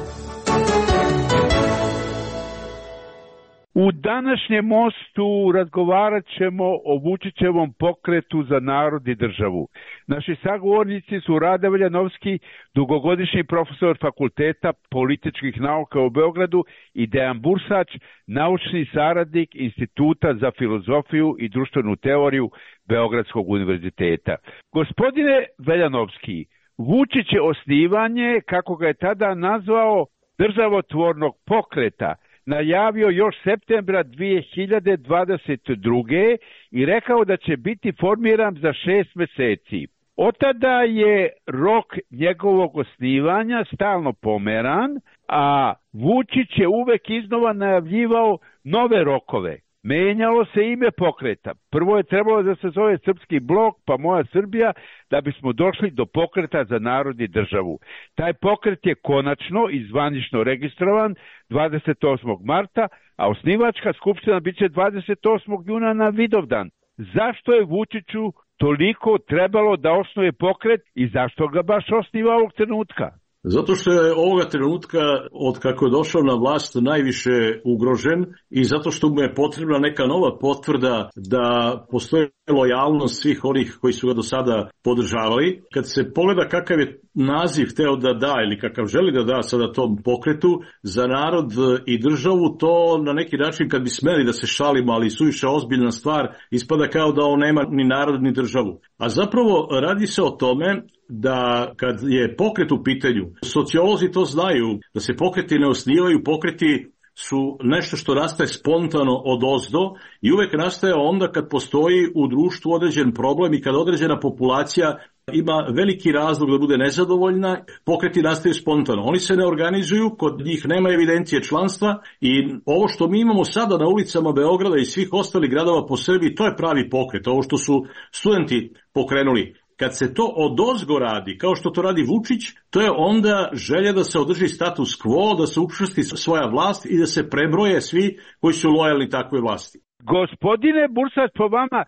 U današnjem mostu razgovarat ćemo o Vučićevom pokretu za narod i državu. Naši sagovornici su Rade Veljanovski, dugogodišnji profesor Fakulteta političkih nauka u Beogradu, i Dejan Bursać, naučni saradnik Instituta za filozofiju i društvenu teoriju Beogradskog univerziteta. Gospodine Veljanovski, Vučić je osnivanje, kako ga je tada nazvao, državotvornog pokreta najavio još septembra dve hiljade dvadeset druge i rekao da će biti formiran za šest meseci. Od tada je rok njegovog osnivanja stalno pomeran, a Vučić je uvek iznova najavljivao nove rokove. Menjalo se ime pokreta. Prvo je trebalo da se zove Srpski blok, pa Moja Srbija, da bismo došli do pokreta za narod i državu. Taj pokret je konačno i zvanično registrovan dvadeset osmog marta, a osnivačka skupština biće dvadeset osmog juna na Vidovdan. Zašto je Vučiću toliko trebalo da osnuje pokret i zašto ga baš osniva ovog trenutka? Zato što je ovoga trenutka, od kako je došao na vlast, najviše ugrožen i zato što mu je potrebna neka nova potvrda da postoji lojalnost svih onih koji su ga do sada podržavali. Kad se pogleda kakav je naziv hteo da da ili kakav želi da da sada tom pokretu za narod i državu, to na neki način, kad bi smeli da se šalimo, ali suviše ozbiljna stvar, ispada kao da on nema ni narod ni državu. A zapravo radi se o tome da kad je pokret u pitanju, sociolozi to znaju, da se pokreti ne osnivaju, pokreti su nešto što nastaje spontano od ozdo i uvek nastaje onda kad postoji u društvu određen problem i kad određena populacija ima veliki razlog da bude nezadovoljna, pokreti nastaju spontano. Oni se ne organizuju, kod njih nema evidencije članstva i ovo što mi imamo sada na ulicama Beograda i svih ostalih gradova po Srbiji, to je pravi pokret, ovo što su studenti pokrenuli. Kad se to odozgo radi, kao što to radi Vučić, to je onda želja da se održi status quo, da se učvrsti svoja vlast i da se prebroje svi koji su lojalni takvoj vlasti. Gospodine Bursać, po vama,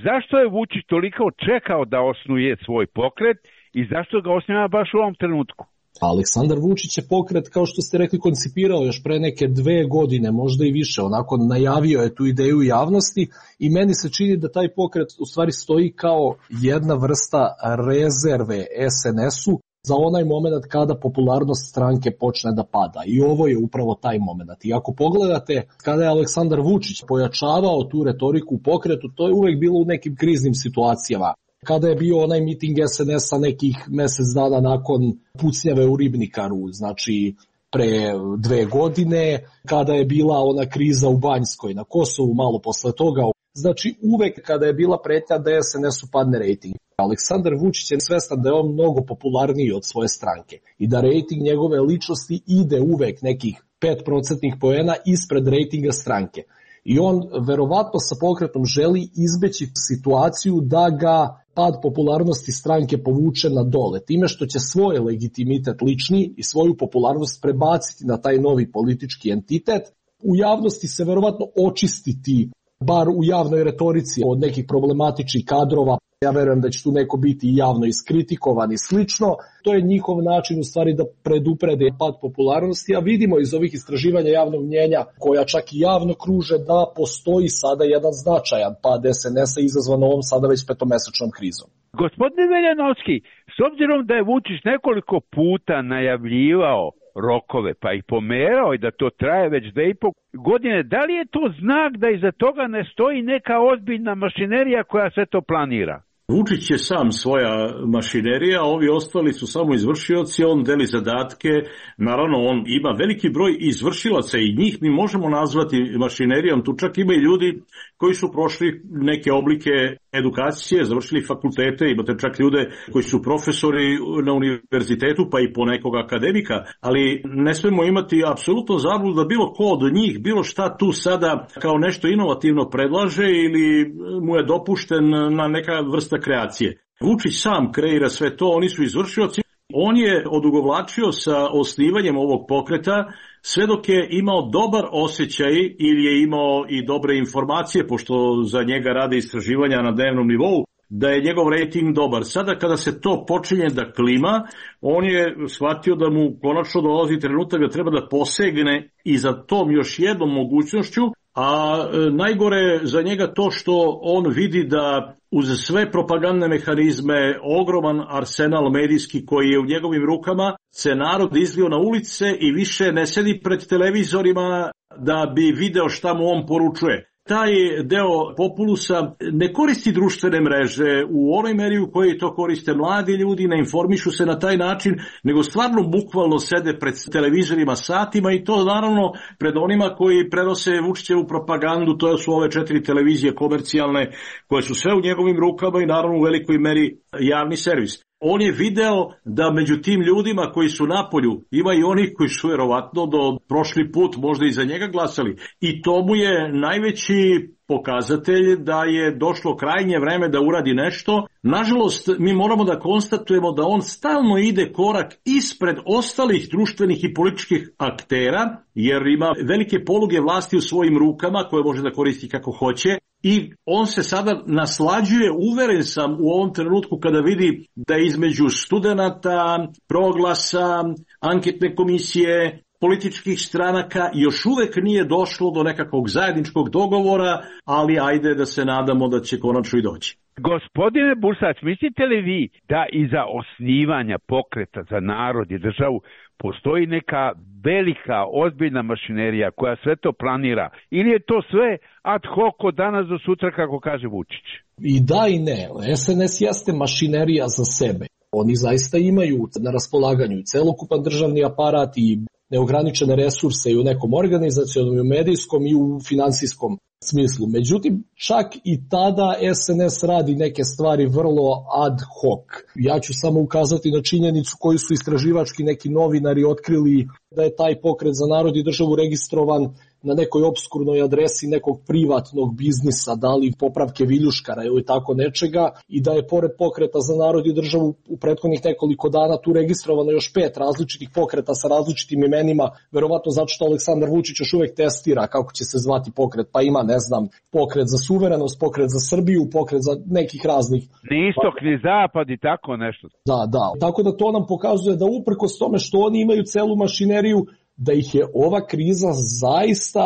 zašto je Vučić toliko čekao da osnuje svoj pokret i zašto ga osniva baš u ovom trenutku? Aleksandar Vučić je pokret, kao što ste rekli, koncipirao još pre neke dve godine, možda i više, onako najavio je tu ideju javnosti i meni se čini da taj pokret u stvari stoji kao jedna vrsta rezerve es en esu za onaj moment kada popularnost stranke počne da pada. I ovo je upravo taj moment. I ako pogledate kada je Aleksandar Vučić pojačavao tu retoriku u pokretu, to je uvek bilo u nekim kriznim situacijama. Kada je bio onaj miting es en esa nekih mesec dana nakon pucnjave u Ribnikaru, znači pre dve godine, kada je bila ona kriza u Banjskoj, na Kosovu malo posle toga. Znači uvek kada je bila pretnja da es en esu padne rejting. Aleksandar Vučić je svestan da je on mnogo popularniji od svoje stranke i da rejting njegove ličnosti ide uvek nekih pet procentnih poena ispred rejtinga stranke. I on verovatno sa pokretom želi izbeći situaciju da ga pad popularnosti stranke povuče na dole, time što će svoj legitimitet lični i svoju popularnost prebaciti na taj novi politički entitet. U javnosti se verovatno očistiti, bar u javnoj retorici, od nekih problematičnih kadrova. Ja verujem da će tu neko biti javno iskritikovan i slično. To je njihov način u stvari da preduprede pad popularnosti, a vidimo iz ovih istraživanja javnog mnjenja, koja čak i javno kruže, da postoji sada jedan značajan pad es en esa izazvan ovom sada već petomesečnom krizom. Gospodine Veljanovski, s obzirom da je Vučić nekoliko puta najavljivao rokove, pa i pomerao i da to traje već dve i po godine, da li je to znak da iza toga ne stoji neka ozbiljna mašinerija koja sve to planira? Vučić je sam svoja mašinerija, ovi ostali su samo izvršioci, on deli zadatke, naravno on ima veliki broj izvršilaca i njih mi možemo nazvati mašinerijom, tu čak ima i ljudi koji su prošli neke oblike edukacije, završili fakultete, imate čak ljude koji su profesori na univerzitetu pa i po nekog akademika, ali ne smemo imati apsolutno zabludu da bilo ko od njih, bilo šta tu sada kao nešto inovativno predlaže ili mu je dopušten na neka vrsta kreacije. Vučić sam kreira sve to, oni su izvršioci. On je odugovlačio sa osnivanjem ovog pokreta sve dok je imao dobar osjećaj ili je imao i dobre informacije, pošto za njega rade istraživanja na dnevnom nivou, da je njegov rejting dobar. Sada kada se to počinje da klima, on je shvatio da mu konačno dolazi trenutak da treba da posegne i za tom još jednom mogućnošću, a najgore za njega to što on vidi da uz sve propagandne mehanizme, ogroman arsenal medijski koji je u njegovim rukama, se narod izlio na ulice i više ne sedi pred televizorima da bi video šta mu on poručuje. Taj deo populusa ne koristi društvene mreže u onoj meri u kojoj to koriste mladi ljudi, ne informišu se na taj način, nego stvarno bukvalno sede pred televizorima satima i to naravno pred onima koji prenose Vučićevu propagandu, to su ove četiri televizije komercijalne koje su sve u njegovim rukama i naravno u velikoj meri javni servis. On je video da među tim ljudima koji su napolju ima i oni koji su vjerovatno do prošli put možda i za njega glasali. I to mu je najveći pokazatelj da je došlo krajnje vreme da uradi nešto. Nažalost, mi moramo da konstatujemo da on stalno ide korak ispred ostalih društvenih i političkih aktera, jer ima velike poluge vlasti u svojim rukama koje može da koristi kako hoće. I on se sada naslađuje, uveren sam u ovom trenutku kada vidi da između studenata, Proglasa, anketne komisije, političkih stranaka još uvek nije došlo do nekakvog zajedničkog dogovora, ali ajde da se nadamo da će konačno i doći. Gospodine Bursac, mislite li vi da iza osnivanja pokreta za narod i državu postoji neka velika, ozbiljna mašinerija koja sve to planira? Ili je to sve ad hoc od danas do sutra, kako kaže Vučić? I da i ne. es en es jeste mašinerija za sebe. Oni zaista imaju na raspolaganju celokupan državni aparat i neograničene resurse i u nekom organizacionom, i u medijskom i u finansijskom smislu. Međutim, čak i tada es en es radi neke stvari vrlo ad hoc. Ja ću samo ukazati na činjenicu koju su istraživački neki novinari otkrili, da je taj pokret za narod i državu registrovan na nekoj obskurnoj adresi nekog privatnog biznisa, da li popravke viljuškara ili tako nečega, i da je pored Pokreta za narod i državu u prethodnih nekoliko dana tu registrovano još pet različitih pokreta sa različitim imenima, verovatno zato što Aleksandar Vučić još uvek testira kako će se zvati pokret, pa ima, ne znam, pokret za suverenost, pokret za Srbiju, pokret za nekih raznih. Ni istok, ni zapad i tako nešto. Da, da, tako da to nam pokazuje da uprkos tome što oni imaju celu mašineriju, da ih je ova kriza zaista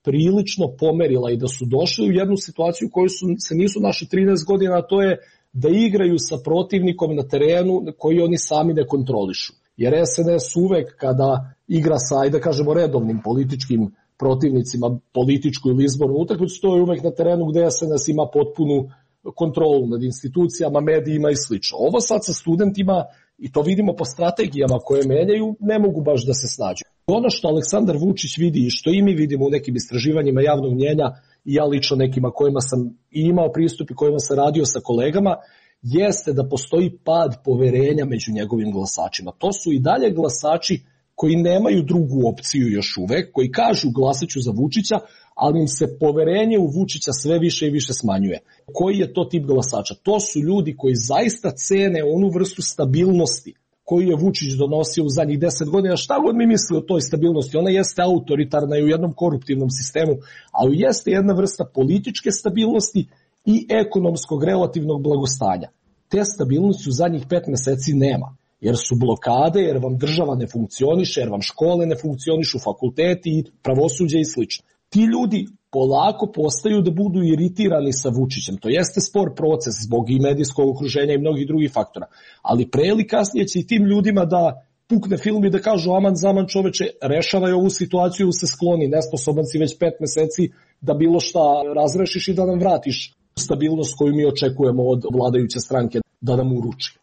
prilično pomerila i da su došli u jednu situaciju u kojoj su, se nisu našli trinaest godina, a to je da igraju sa protivnikom na terenu koji oni sami ne kontrolišu. Jer S N S uvek kada igra sa, ajde da kažemo, redovnim političkim protivnicima, političku ili izbornu utakmicu, to je uvek na terenu gde S N S ima potpunu kontrolu nad institucijama, medijima i slično. Ovo sad sa studentima, i to vidimo po strategijama koje menjaju, ne mogu baš da se snađu. Ono što Aleksandar Vučić vidi i što i mi vidimo u nekim istraživanjima javnog mnjenja, i ja lično nekima kojima sam i imao pristup i kojima sam radio sa kolegama, jeste da postoji pad poverenja među njegovim glasačima. To su i dalje glasači koji nemaju drugu opciju još uvek, koji kažu glasaću za Vučića, ali im se poverenje u Vučića sve više i više smanjuje. Koji je to tip glasača? To su ljudi koji zaista cene onu vrstu stabilnosti koju je Vučić donosio u zadnjih deset godina. Šta god mi misli o toj stabilnosti, ona jeste autoritarna i u jednom koruptivnom sistemu, ali jeste jedna vrsta političke stabilnosti i ekonomskog relativnog blagostanja. Te stabilnosti u zadnjih pet meseci nema, jer su blokade, jer vam država ne funkcioniše, jer vam škole ne funkcionišu, fakulteti, pravosuđe i slično. Ti ljudi polako postaju da budu iritirani sa Vučićem. To jeste spor proces zbog i medijskog okruženja i mnogih drugih faktora. Ali pre ili kasnije će i tim ljudima da pukne film i da kažu aman zaman čoveče, rešavaj ovu situaciju, se skloni, nesposoban si već pet meseci da bilo šta razrešiš i da nam vratiš stabilnost koju mi očekujemo od vladajuće stranke da nam uruči.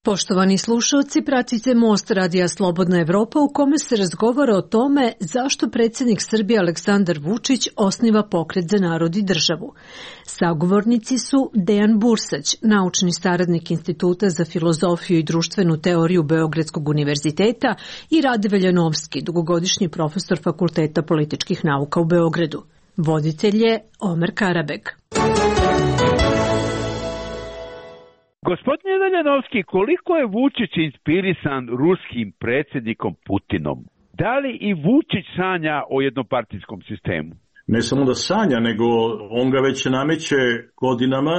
Poštovani slušalci, pratite Most Radija Slobodna Evropa u kome se razgovara o tome zašto predsjednik Srbije Aleksandar Vučić osniva Pokret za narod i državu. Sagovornici su Dejan Bursać, naučni saradnik Instituta za filozofiju i društvenu teoriju Beogradskog univerziteta, i Rade Veljanovski, dugogodišnji profesor Fakulteta političkih nauka u Beogradu. Voditelj je Omer Karabeg. Gospodine Veljanovski, koliko je Vučić inspirisan ruskim predsjednikom Putinom? Da li i Vučić sanja o jednopartijskom sistemu? Ne samo da sanja, nego on ga već nameće godinama,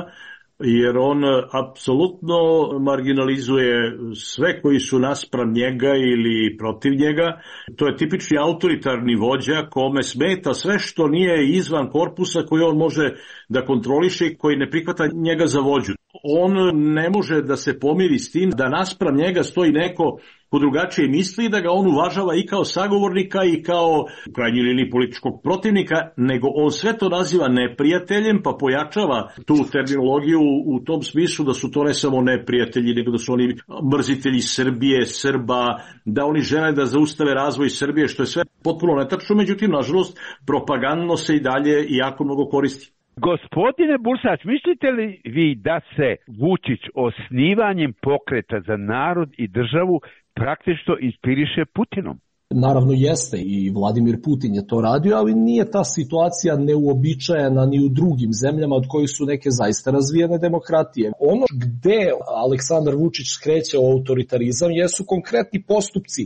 jer on apsolutno marginalizuje sve koji su naspram njega ili protiv njega. To je tipični autoritarni vođa kome smeta sve što nije izvan korpusa koji on može da kontroliše i koji ne prihvata njega za vođu. On ne može da se pomiri s tim da naspram njega stoji neko ko drugačije misli, da ga on uvažava i kao sagovornika i kao u krajnjoj liniji političkog protivnika, nego on sve to naziva neprijateljem, pa pojačava tu terminologiju u tom smislu da su to ne samo neprijatelji, nego da su oni mrzitelji Srbije, Srba, da oni žele da zaustave razvoj Srbije, što je sve potpuno netačno, međutim, nažalost, propagandno se i dalje i jako mnogo koristi. Gospodine Bursać, mislite li vi da se Vučić osnivanjem Pokreta za narod i državu praktično inspiriše Putinom? Naravno jeste, i Vladimir Putin je to radio, ali nije ta situacija neuobičajena ni u drugim zemljama od kojih su neke zaista razvijene demokratije. Ono gde Aleksandar Vučić skreće o autoritarizam jesu konkretni postupci.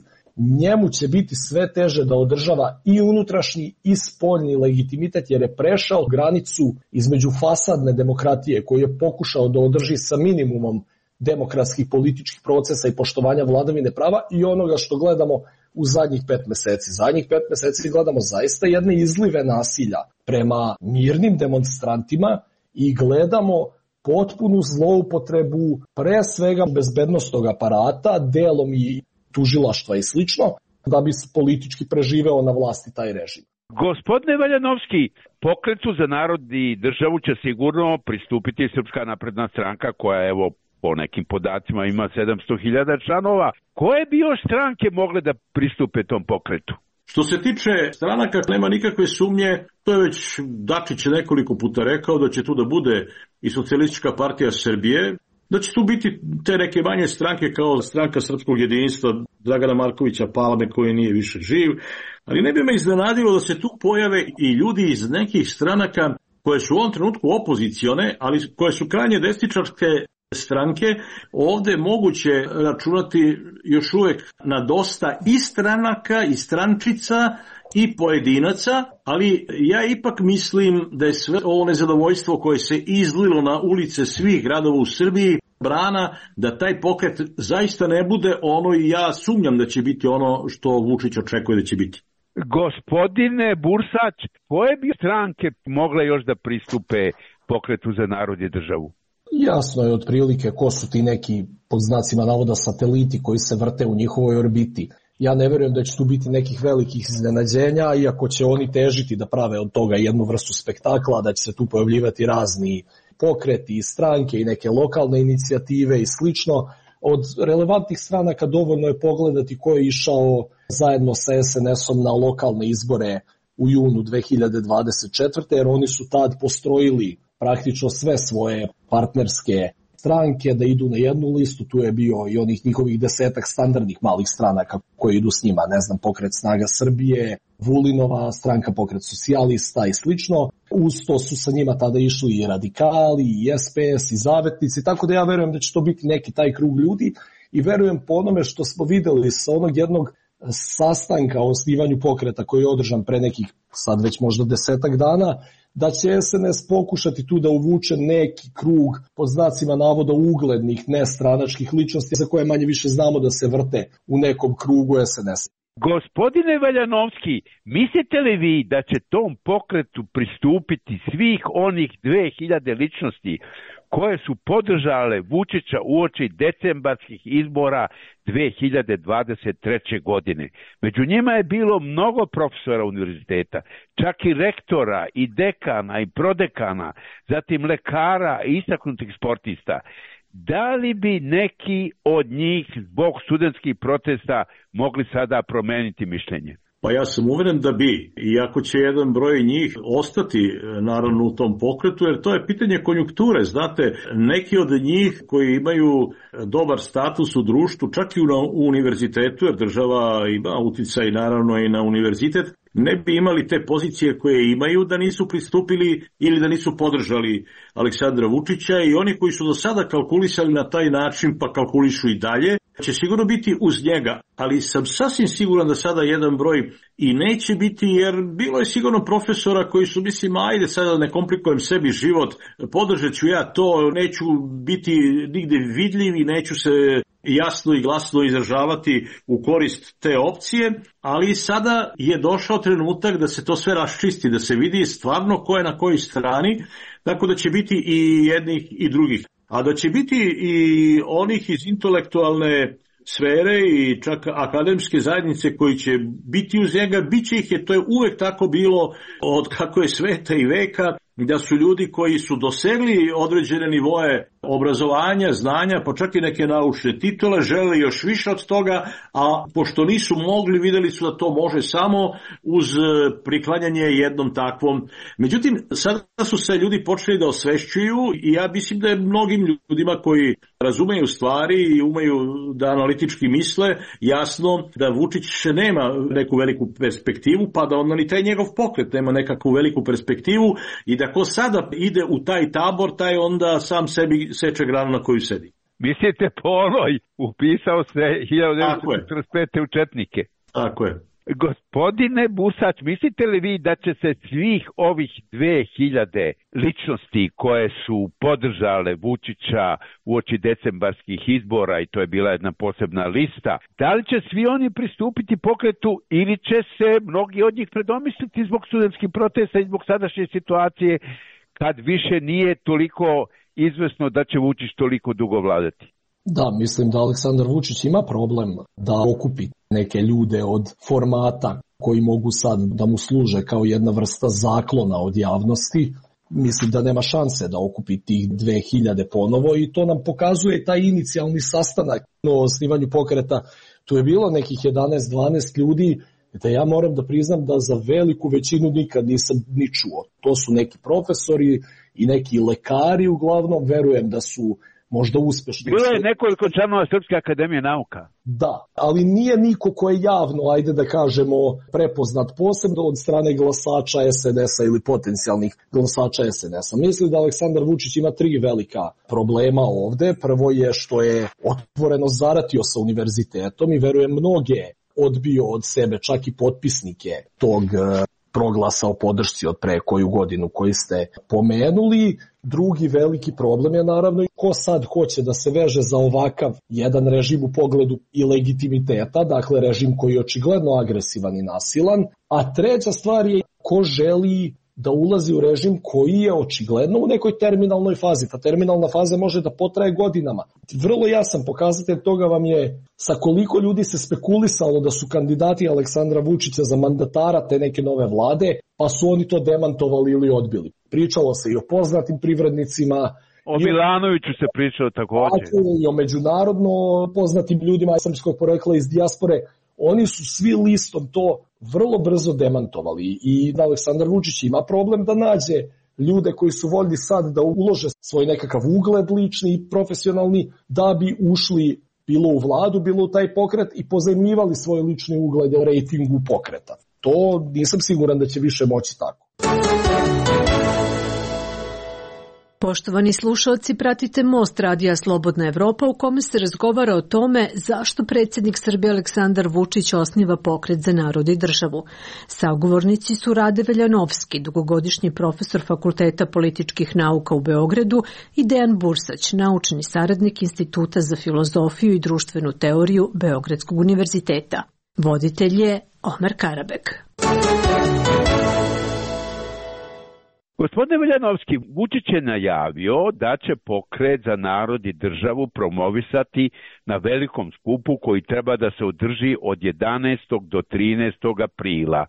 Njemu će biti sve teže da održava i unutrašnji i spoljni legitimitet, jer je prešao granicu između fasadne demokratije koju je pokušao da održi sa minimumom demokratskih političkih procesa i poštovanja vladavine prava i onoga što gledamo u zadnjih pet meseci. Zadnjih pet meseci gledamo zaista jedne izlive nasilja prema mirnim demonstrantima i gledamo potpunu zloupotrebu pre svega bezbednostnog aparata, delom i tužilaštva i slično, da bi politički preživeo na vlasti taj režim. Gospodine Veljanovski, Pokretu za narod i državu će sigurno pristupiti Srpska napredna stranka koja, evo, po nekim podacima ima sedamsto hiljada članova. Koje bi još stranke mogle da pristupe tom pokretu? Što se tiče stranaka, nema nikakve sumnje, to je već Dačić nekoliko puta rekao da će tu da bude i Socijalistička partija Srbije, da će tu biti te neke manje stranke kao Stranka srpskog jedinstva, Dragana Markovića Palme koji nije više živ, ali ne bi me iznenadilo da se tu pojave i ljudi iz nekih stranaka koje su u ovom trenutku opozicione, ali koje su krajnje desničarske stranke. Ovde je moguće računati još uvek na dosta i stranaka i strančica i pojedinaca, ali ja ipak mislim da je sve ovo nezadovoljstvo koje se izlilo na ulice svih gradova u Srbiji brana da taj pokret zaista ne bude ono, i ja sumnjam da će biti ono što Vučić očekuje da će biti. Gospodine Bursać, koje bi stranke mogle još da pristupe pokretu za narod i državu? Jasno je otprilike ko su ti neki, pod znacima navoda, sateliti koji se vrte u njihovoj orbiti. Ja ne verujem da će tu biti nekih velikih iznenađenja, iako će oni težiti da prave od toga jednu vrstu spektakla, da će se tu pojavljivati razni pokreti i stranke i neke lokalne inicijative i slično. Od relevantnih stranaka dovoljno je pogledati ko je išao zajedno sa es en esom na lokalne izbore u junu dve hiljade dvadeset četvrte. jer oni su tad postrojili praktično sve svoje partnerske stranke da idu na jednu listu. Tu je bio i onih njihovih desetak standardnih malih stranaka koje idu s njima, ne znam, Pokret Snaga Srbije, Vulinova stranka, Pokret Socijalista i slično. Uz to su sa njima tada išli i radikali, i es pe es, i zavetnici, tako da ja verujem da će to biti neki taj krug ljudi i verujem po onome što smo videli sa onog jednog sastanka o osnivanju pokreta koji je održan pre nekih sad već možda desetak dana, da će es en es pokušati tu da uvuče neki krug pod znacima navoda uglednih nestranačkih ličnosti za koje manje više znamo da se vrte u nekom krugu es en es. Gospodine Valjanovski, mislite li vi da će tom pokretu pristupiti svih onih dve hiljade ličnosti koje su podržale Vučića uoči decembarskih izbora dve hiljade dvadeset treće. godine. Među njima je bilo mnogo profesora univerziteta, čak i rektora, i dekana, i prodekana, zatim lekara i istaknutih sportista. Da li bi neki od njih zbog studentskih protesta mogli sada promeniti mišljenje? Pa ja sam uveren da bi, iako će jedan broj njih ostati naravno u tom pokretu, jer to je pitanje konjunkture. Znate, neki od njih koji imaju dobar status u društvu, čak i u univerzitetu, jer država ima uticaj naravno i na univerzitet, ne bi imali te pozicije koje imaju da nisu pristupili ili da nisu podržali Aleksandra Vučića, i oni koji su do sada kalkulisali na taj način pa kalkulišu i dalje, će sigurno biti uz njega, ali sam sasvim siguran da sada jedan broj i neće biti, jer bilo je sigurno profesora koji su, mislim, ajde sada ne komplikujem sebi život, podržat ću ja to, neću biti nigde vidljiv i neću se jasno i glasno izražavati u korist te opcije, ali sada je došao trenutak da se to sve raščisti, da se vidi stvarno ko je na kojoj strani, tako da će biti i jednih i drugih. A da će biti i onih iz intelektualne sfere i čak akademske zajednice koji će biti uz njega, bit će ih, je to je uvek tako bilo od kako je sveta i veka, da su ljudi koji su dosegli određene nivoe obrazovanja, znanja, pa čak i neke naučne titule, žele još više od toga, a pošto nisu mogli, videli su da to može samo uz priklanjanje jednom takvom. Međutim, sada su se ljudi počeli da osvešćuju i ja mislim da je mnogim ljudima koji razumeju stvari i umeju da analitički misle, jasno da Vučić nema neku veliku perspektivu, pa da onda ni taj njegov pokret nema nekakvu veliku perspektivu, i da ko sada ide u taj tabor, taj onda sam sebi seče granu na koju sedi. Mislite po onoj, upisao se hiljadu devetsto četrdeset pete u četnike. Tako je. Gospodine Bursać, mislite li vi da će se svih ovih dve hiljade ličnosti koje su podržale Vučića uoči decembarskih izbora, i to je bila jedna posebna lista, da li će svi oni pristupiti pokretu ili će se mnogi od njih predomisliti zbog studentskih protesta i zbog sadašnje situacije, kad više nije toliko izvesno da će Vučić toliko dugo vladati? Da, mislim da Aleksandar Vučić ima problem da okupi neke ljude od formata koji mogu sad da mu služe kao jedna vrsta zaklona od javnosti. Mislim da nema šanse da okupi tih dve hiljade ponovo, i to nam pokazuje taj inicijalni sastanak o osnivanju pokreta. Tu je bilo nekih jedanaest dvanaest ljudi, da ja moram da priznam da za veliku većinu nikad nisam ni čuo. To su neki profesori i neki lekari uglavnom, verujem da su možda uspešno. Bilo je nekoliko članova Srpske akademije nauka. Da, ali nije niko ko je javno, ajde da kažemo, prepoznat posebno od strane glasača S N S-a ili potencijalnih glasača S N S-a. Mislim da Aleksandar Vučić ima tri velika problema ovde. Prvo je što je otvoreno zaratio sa univerzitetom i verujem mnoge odbio od sebe, čak i potpisnike tog proglasa o podršci od pre koju godinu koji ste pomenuli. Drugi veliki problem je naravno ko sad hoće da se veže za ovakav jedan režim u pogledu i legitimiteta, dakle režim koji je očigledno agresivan i nasilan, a treća stvar je ko želi da ulazi u režim koji je očigledno u nekoj terminalnoj fazi. Ta terminalna faza može da potraje godinama. Vrlo jasan pokazatelj toga vam je sa koliko ljudi se spekulisalo da su kandidati Aleksandra Vučića za mandatara te neke nove vlade, pa su oni to demantovali ili odbili. Pričalo se i o poznatim privrednicima. O Milanoviću se pričalo također. I o međunarodno poznatim ljudima srpskog porekla iz dijaspore. Oni su svi listom to vrlo brzo demantovali i Aleksandar Vučić ima problem da nađe ljude koji su voljni sad da ulože svoj nekakav ugled lični i profesionalni da bi ušli bilo u vladu, bilo u taj pokret i pozajmljivali svoj lični ugled u rejtingu pokreta. To nisam siguran da će više moći tako. Poštovani slušalci, pratite Most radija Slobodna Evropa u kome se razgovara o tome zašto predsjednik Srbije Aleksandar Vučić osniva Pokret za narod i državu. Sagovornici su Rade Veljanovski, dugogodišnji profesor Fakulteta političkih nauka u Beogradu, i Dejan Bursać, naučni saradnik Instituta za filozofiju i društvenu teoriju Beogradskog univerziteta. Voditelj je Omer Karabek. Gospodine Veljanovski, Vučić je najavio da će Pokret za narod i državu promovisati na velikom skupu koji treba da se održi od jedanaestog do trinaestog aprila.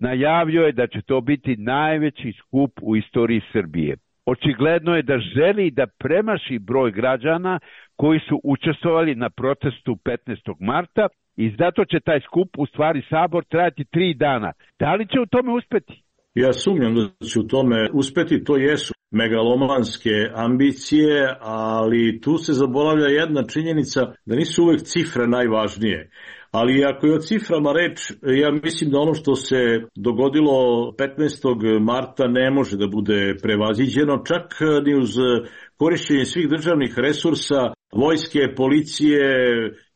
Najavio je da će to biti najveći skup u istoriji Srbije. Očigledno je da želi da premaši broj građana koji su učestvovali na protestu petnaestog marta i zato će taj skup, u stvari sabor, trajati tri dana. Da li će u tome uspeti? Ja sumnjam da će u tome uspeti, to jesu megalomanske ambicije, ali tu se zaboravlja jedna činjenica da nisu uvek cifre najvažnije. Ali ako je o ciframa reč, ja mislim da ono što se dogodilo petnaestog marta ne može da bude prevaziđeno, čak ni uz korišćenje svih državnih resursa, vojske, policije,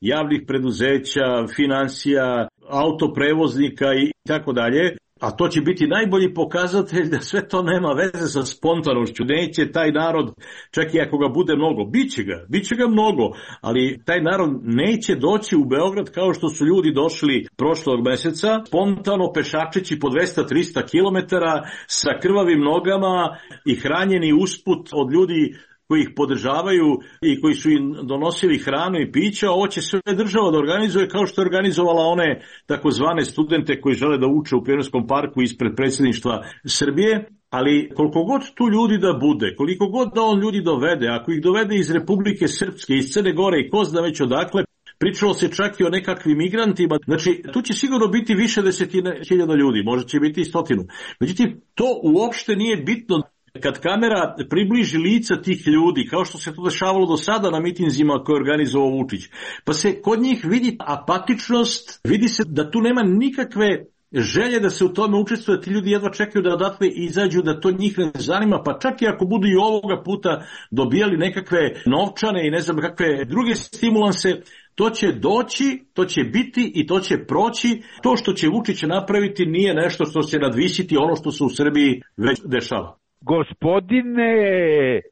javnih preduzeća, finansija, autoprevoznika i tako dalje. A to će biti najbolji pokazatelj da sve to nema veze sa spontanošću. Neće taj narod, čak i ako ga bude mnogo, biće ga, biće ga mnogo, ali taj narod neće doći u Beograd kao što su ljudi došli prošlog meseca, spontano pešačeći po dvesta do trista kilometara sa krvavim nogama i hranjeni usput od ljudi koji ih podržavaju i koji su im donosili hranu i pića. Ovo će sve država da organizuje kao što je organizovala one takozvane studente koji žele da uče u Pionirskom parku ispred predsjedništva Srbije. Ali koliko god tu ljudi da bude, koliko god da on ljudi dovede, ako ih dovede iz Republike Srpske, iz Crne Gore i ko zna već odakle, pričalo se čak i o nekakvim migrantima, znači tu će sigurno biti više desetina hiljada ljudi, možda će biti i stotinu. Međutim, to uopšte nije bitno. Kad kamera približi lica tih ljudi, kao što se to dešavalo do sada na mitinzima koje je organizovao Vučić, pa se kod njih vidi apatičnost, vidi se da tu nema nikakve želje da se u tome učestvuje, ti ljudi jedva čekaju da odatle izađu, da to njih ne zanima, pa čak i ako budu i ovoga puta dobijali nekakve novčane i ne znam kakve druge stimulanse, to će doći, to će biti i to će proći. To što će Vučić napraviti nije nešto što će nadvisiti ono što se u Srbiji već dešava. Gospodine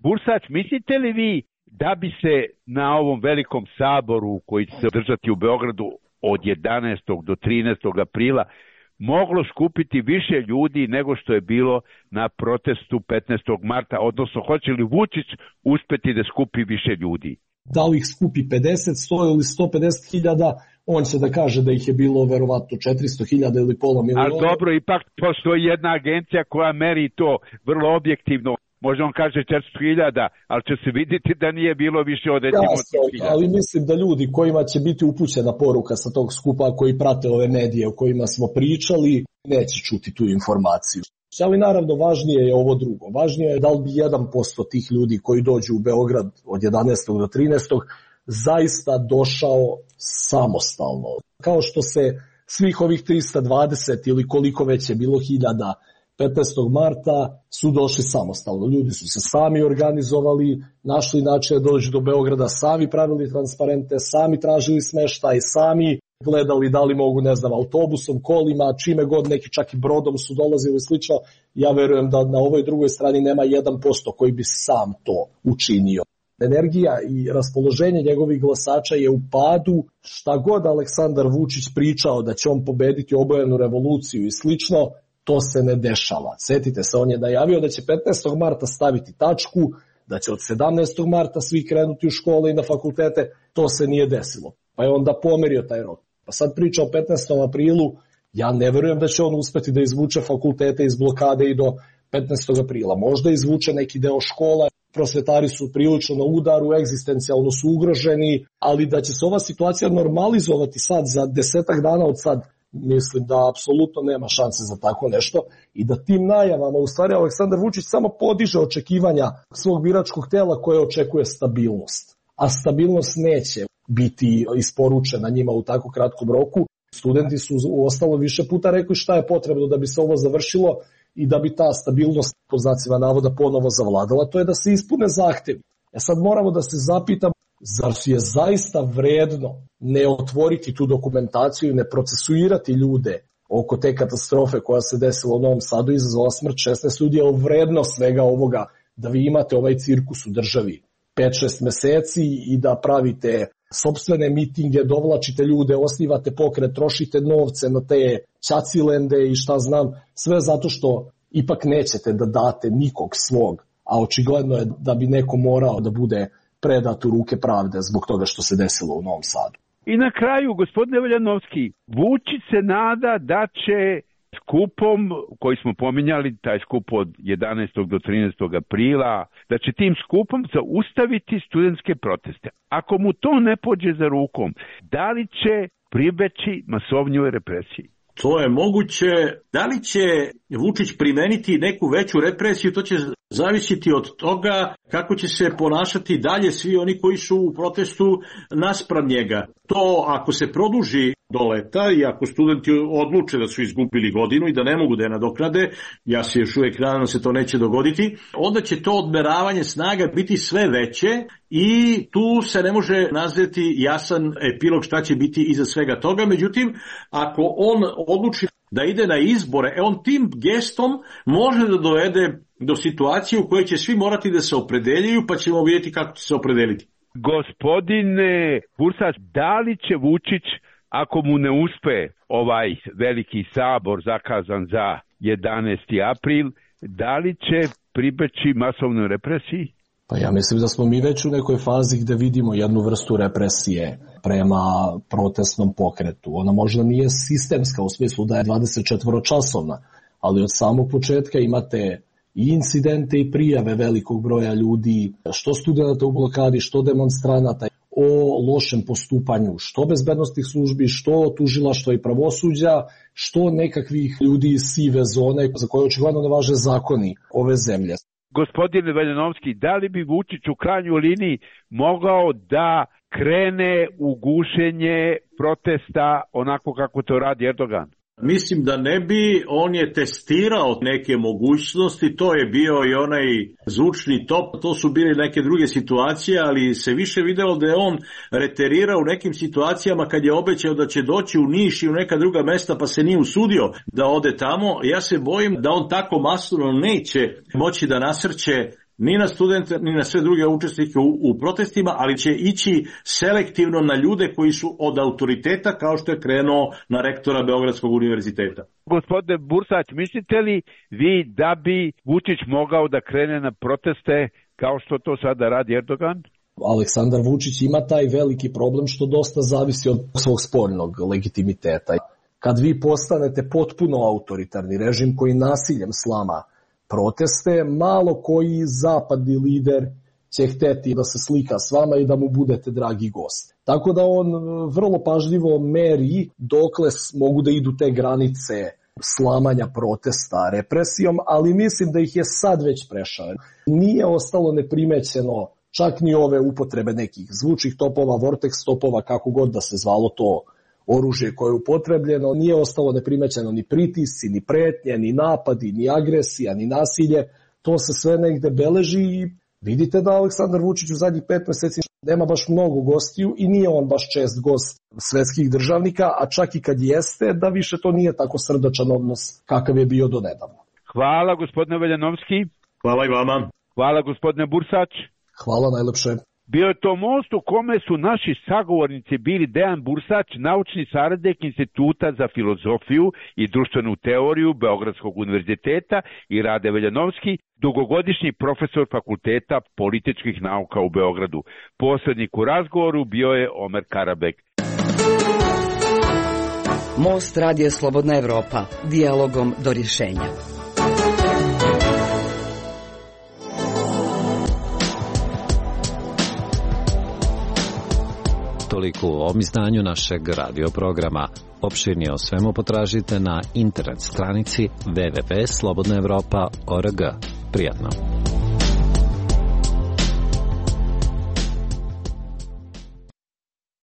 Bursać, mislite li vi da bi se na ovom velikom saboru koji će se održati u Beogradu od jedanaestog do trinaestog aprila moglo skupiti više ljudi nego što je bilo na protestu petnaestog marta, odnosno hoće li Vučić uspeti da skupi više ljudi? Da li ih skupi pedeset, sto ili sto pedeset hiljada, on će da kaže da ih je bilo verovatno četiristo hiljada ili pola miliona. Ali dobro, ipak postoji jedna agencija koja meri to vrlo objektivno. Možda on kaže četiristo hiljada, ali će se vidjeti da nije bilo više od recimo sto hiljada. Ali mislim da ljudi kojima će biti upućena poruka sa tog skupa, koji prate ove medije o kojima smo pričali, neće čuti tu informaciju. Ali naravno važnije je ovo drugo. Važnije je da li bi jedan posto tih ljudi koji dođu u Beograd od jedanaestog do trinaestog zaista došao samostalno. Kao što se svih ovih trista dvadeset ili koliko već je bilo hiljada petnaestog marta su došli samostalno. Ljudi su se sami organizovali, našli način da dođu do Beograda, sami pravili transparente, sami tražili smeštaj, sami gledali da li mogu, ne znam, autobusom, kolima, čime god, neki čak i brodom su dolazili i slično. Ja verujem da na ovoj drugoj strani nema jedan posto koji bi sam to učinio. Energija i raspoloženje njegovih glasača je u padu. Šta god Aleksandar Vučić pričao da će on pobediti obojenu revoluciju i slično, to se ne dešava. Sjetite se, on je najavio da će petnaestog marta staviti tačku, da će od sedamnaestog marta svi krenuti u škole i na fakultete. To se nije desilo. Pa je onda pomerio taj rok. Pa sad priča o petnaestom aprilu, ja ne verujem da će on uspeti da izvuče fakultete iz blokade i do petnaestog aprila. Možda izvuče neki deo škola, prosvetari su prilično na udaru, egzistencijalno su ugroženi, ali da će se ova situacija normalizovati sad za desetak dana od sad, mislim da apsolutno nema šanse za tako nešto i da tim najavama u stvari Aleksandar Vučić samo podiže očekivanja svog biračkog tela koje očekuje stabilnost. A stabilnost neće biti isporučena njima u tako kratkom roku. Studenti su u ostalo više puta rekli šta je potrebno da bi se ovo završilo i da bi ta stabilnost pod znacima navoda ponovo zavladala, to je da se ispune zahtevi. E sad moramo da se zapitamo, zar je zaista vredno ne otvoriti tu dokumentaciju i ne procesuirati ljude oko te katastrofe koja se desila u Novom Sadu, izazvala smrt šesnaest ljudi, je vredno svega ovoga da vi imate ovaj cirkus u državi pet šest meseci i da pravite sopstvene mitinge, dovlačite ljude, osnivate pokret, trošite novce na te ćacilende i šta znam, sve zato što ipak nećete da date nikog svog, a očigledno je da bi neko morao da bude predat u ruke pravde zbog toga što se desilo u Novom Sadu. I na kraju, gospodine Veljanovski, Vučić se nada da će skupom koji smo pominjali, taj skup od jedanaestog do trinaestog aprila, da će tim skupom zaustaviti studentske proteste. Ako mu to ne pođe za rukom, da li će pribeći masovnjoj represiji? To je moguće. Da li će Vučić primeniti neku veću represiju, to će zavisiti od toga kako će se ponašati dalje svi oni koji su u protestu naspram njega. To ako se produži do leta i ako studenti odluče da su izgubili godinu i da ne mogu da je nadoknade, ja se još uvijek nadam da se to neće dogoditi, onda će to odmeravanje snaga biti sve veće i tu se ne može nazvati jasan epilog šta će biti iza svega toga. Međutim, ako on odluči da ide na izbore, e on tim gestom može da dovede do situacije u kojoj će svi morati da se opredeljuju, pa ćemo vidjeti kako će se opredeliti. Gospodine Bursač, da li će Vučić, ako mu ne uspe ovaj veliki sabor zakazan za jedanaesti april, da li će pribeći masovnoj represiji? Pa ja mislim da smo mi već u nekoj fazi gde vidimo jednu vrstu represije prema protestnom pokretu. Ona možda nije sistemska u smislu da je dvadeset četiri časovna, ali od samog početka imate i incidente i prijave velikog broja ljudi, što studenta u blokadi, što demonstranata, o lošem postupanju, što bezbednostnih službi, što tužilaštva i pravosuđa, što nekakvih ljudi iz sive zone za koje očigledno ne važe zakoni ove zemlje. Gospodine Veljanovski, da li bi Vučić u krajnjoj liniji mogao da krene u gušenje protesta onako kako to radi Erdogan? Mislim da ne bi, on je testirao neke mogućnosti, to je bio i onaj zvučni top, to su bili neke druge situacije, ali se više videlo da je on reterirao u nekim situacijama kad je obećao da će doći u Niš i u neka druga mesta pa se nije usudio da ode tamo. Ja se bojim da on tako masovno neće moći da nasrće ni na studente, ni na sve druge učesnike u, u protestima, ali će ići selektivno na ljude koji su od autoriteta, kao što je krenuo na rektora Beogradskog univerziteta. Gospodine Bursać, mislite li vi da bi Vučić mogao da krene na proteste kao što to sada radi Erdogan? Aleksandar Vučić ima taj veliki problem što dosta zavisi od svog spoljnog legitimiteta. Kad vi postanete potpuno autoritarni režim koji nasiljem slama proteste, malo koji zapadni lider će hteti da se slika s vama i da mu budete dragi gost. Tako da on vrlo pažljivo meri dokle mogu da idu te granice slamanja protesta represijom, ali mislim da ih je sad već prešao. Nije ostalo neprimećeno čak ni ove upotrebe nekih zvučnih topova, vortex topova, kako god da se zvalo to oružje koje je upotrebljeno, nije ostalo neprimećeno ni pritisci, ni pretnje, ni napadi, ni agresija, ni nasilje. To se sve negde beleži i vidite da Aleksandar Vučić u zadnjih pet meseci nema baš mnogo gostiju i nije on baš čest gost svetskih državnika, a čak i kad jeste, da više to nije tako srdačan odnos kakav je bio do nedavno. Hvala gospodine Veljanovski. Hvala i vama. Hvala gospodine Bursač. Hvala najlepše. Bio je to most u kome su naši sagovornici bili Dejan Bursač, naučni saradnik Instituta za filozofiju i društvenu teoriju Beogradskog univerziteta, i Rade Veljanovski, dugogodišnji profesor Fakulteta političkih nauka u Beogradu. Posrednik u razgovoru bio je Omer Karabek. Most radija Slobodna Evropa, dijalogom do rješenja. Toliko u ovom izdanju našeg radioprograma. Opširnije o svemu potražite na internet stranici w w w tačka slobodna evropa tačka org. Prijatno.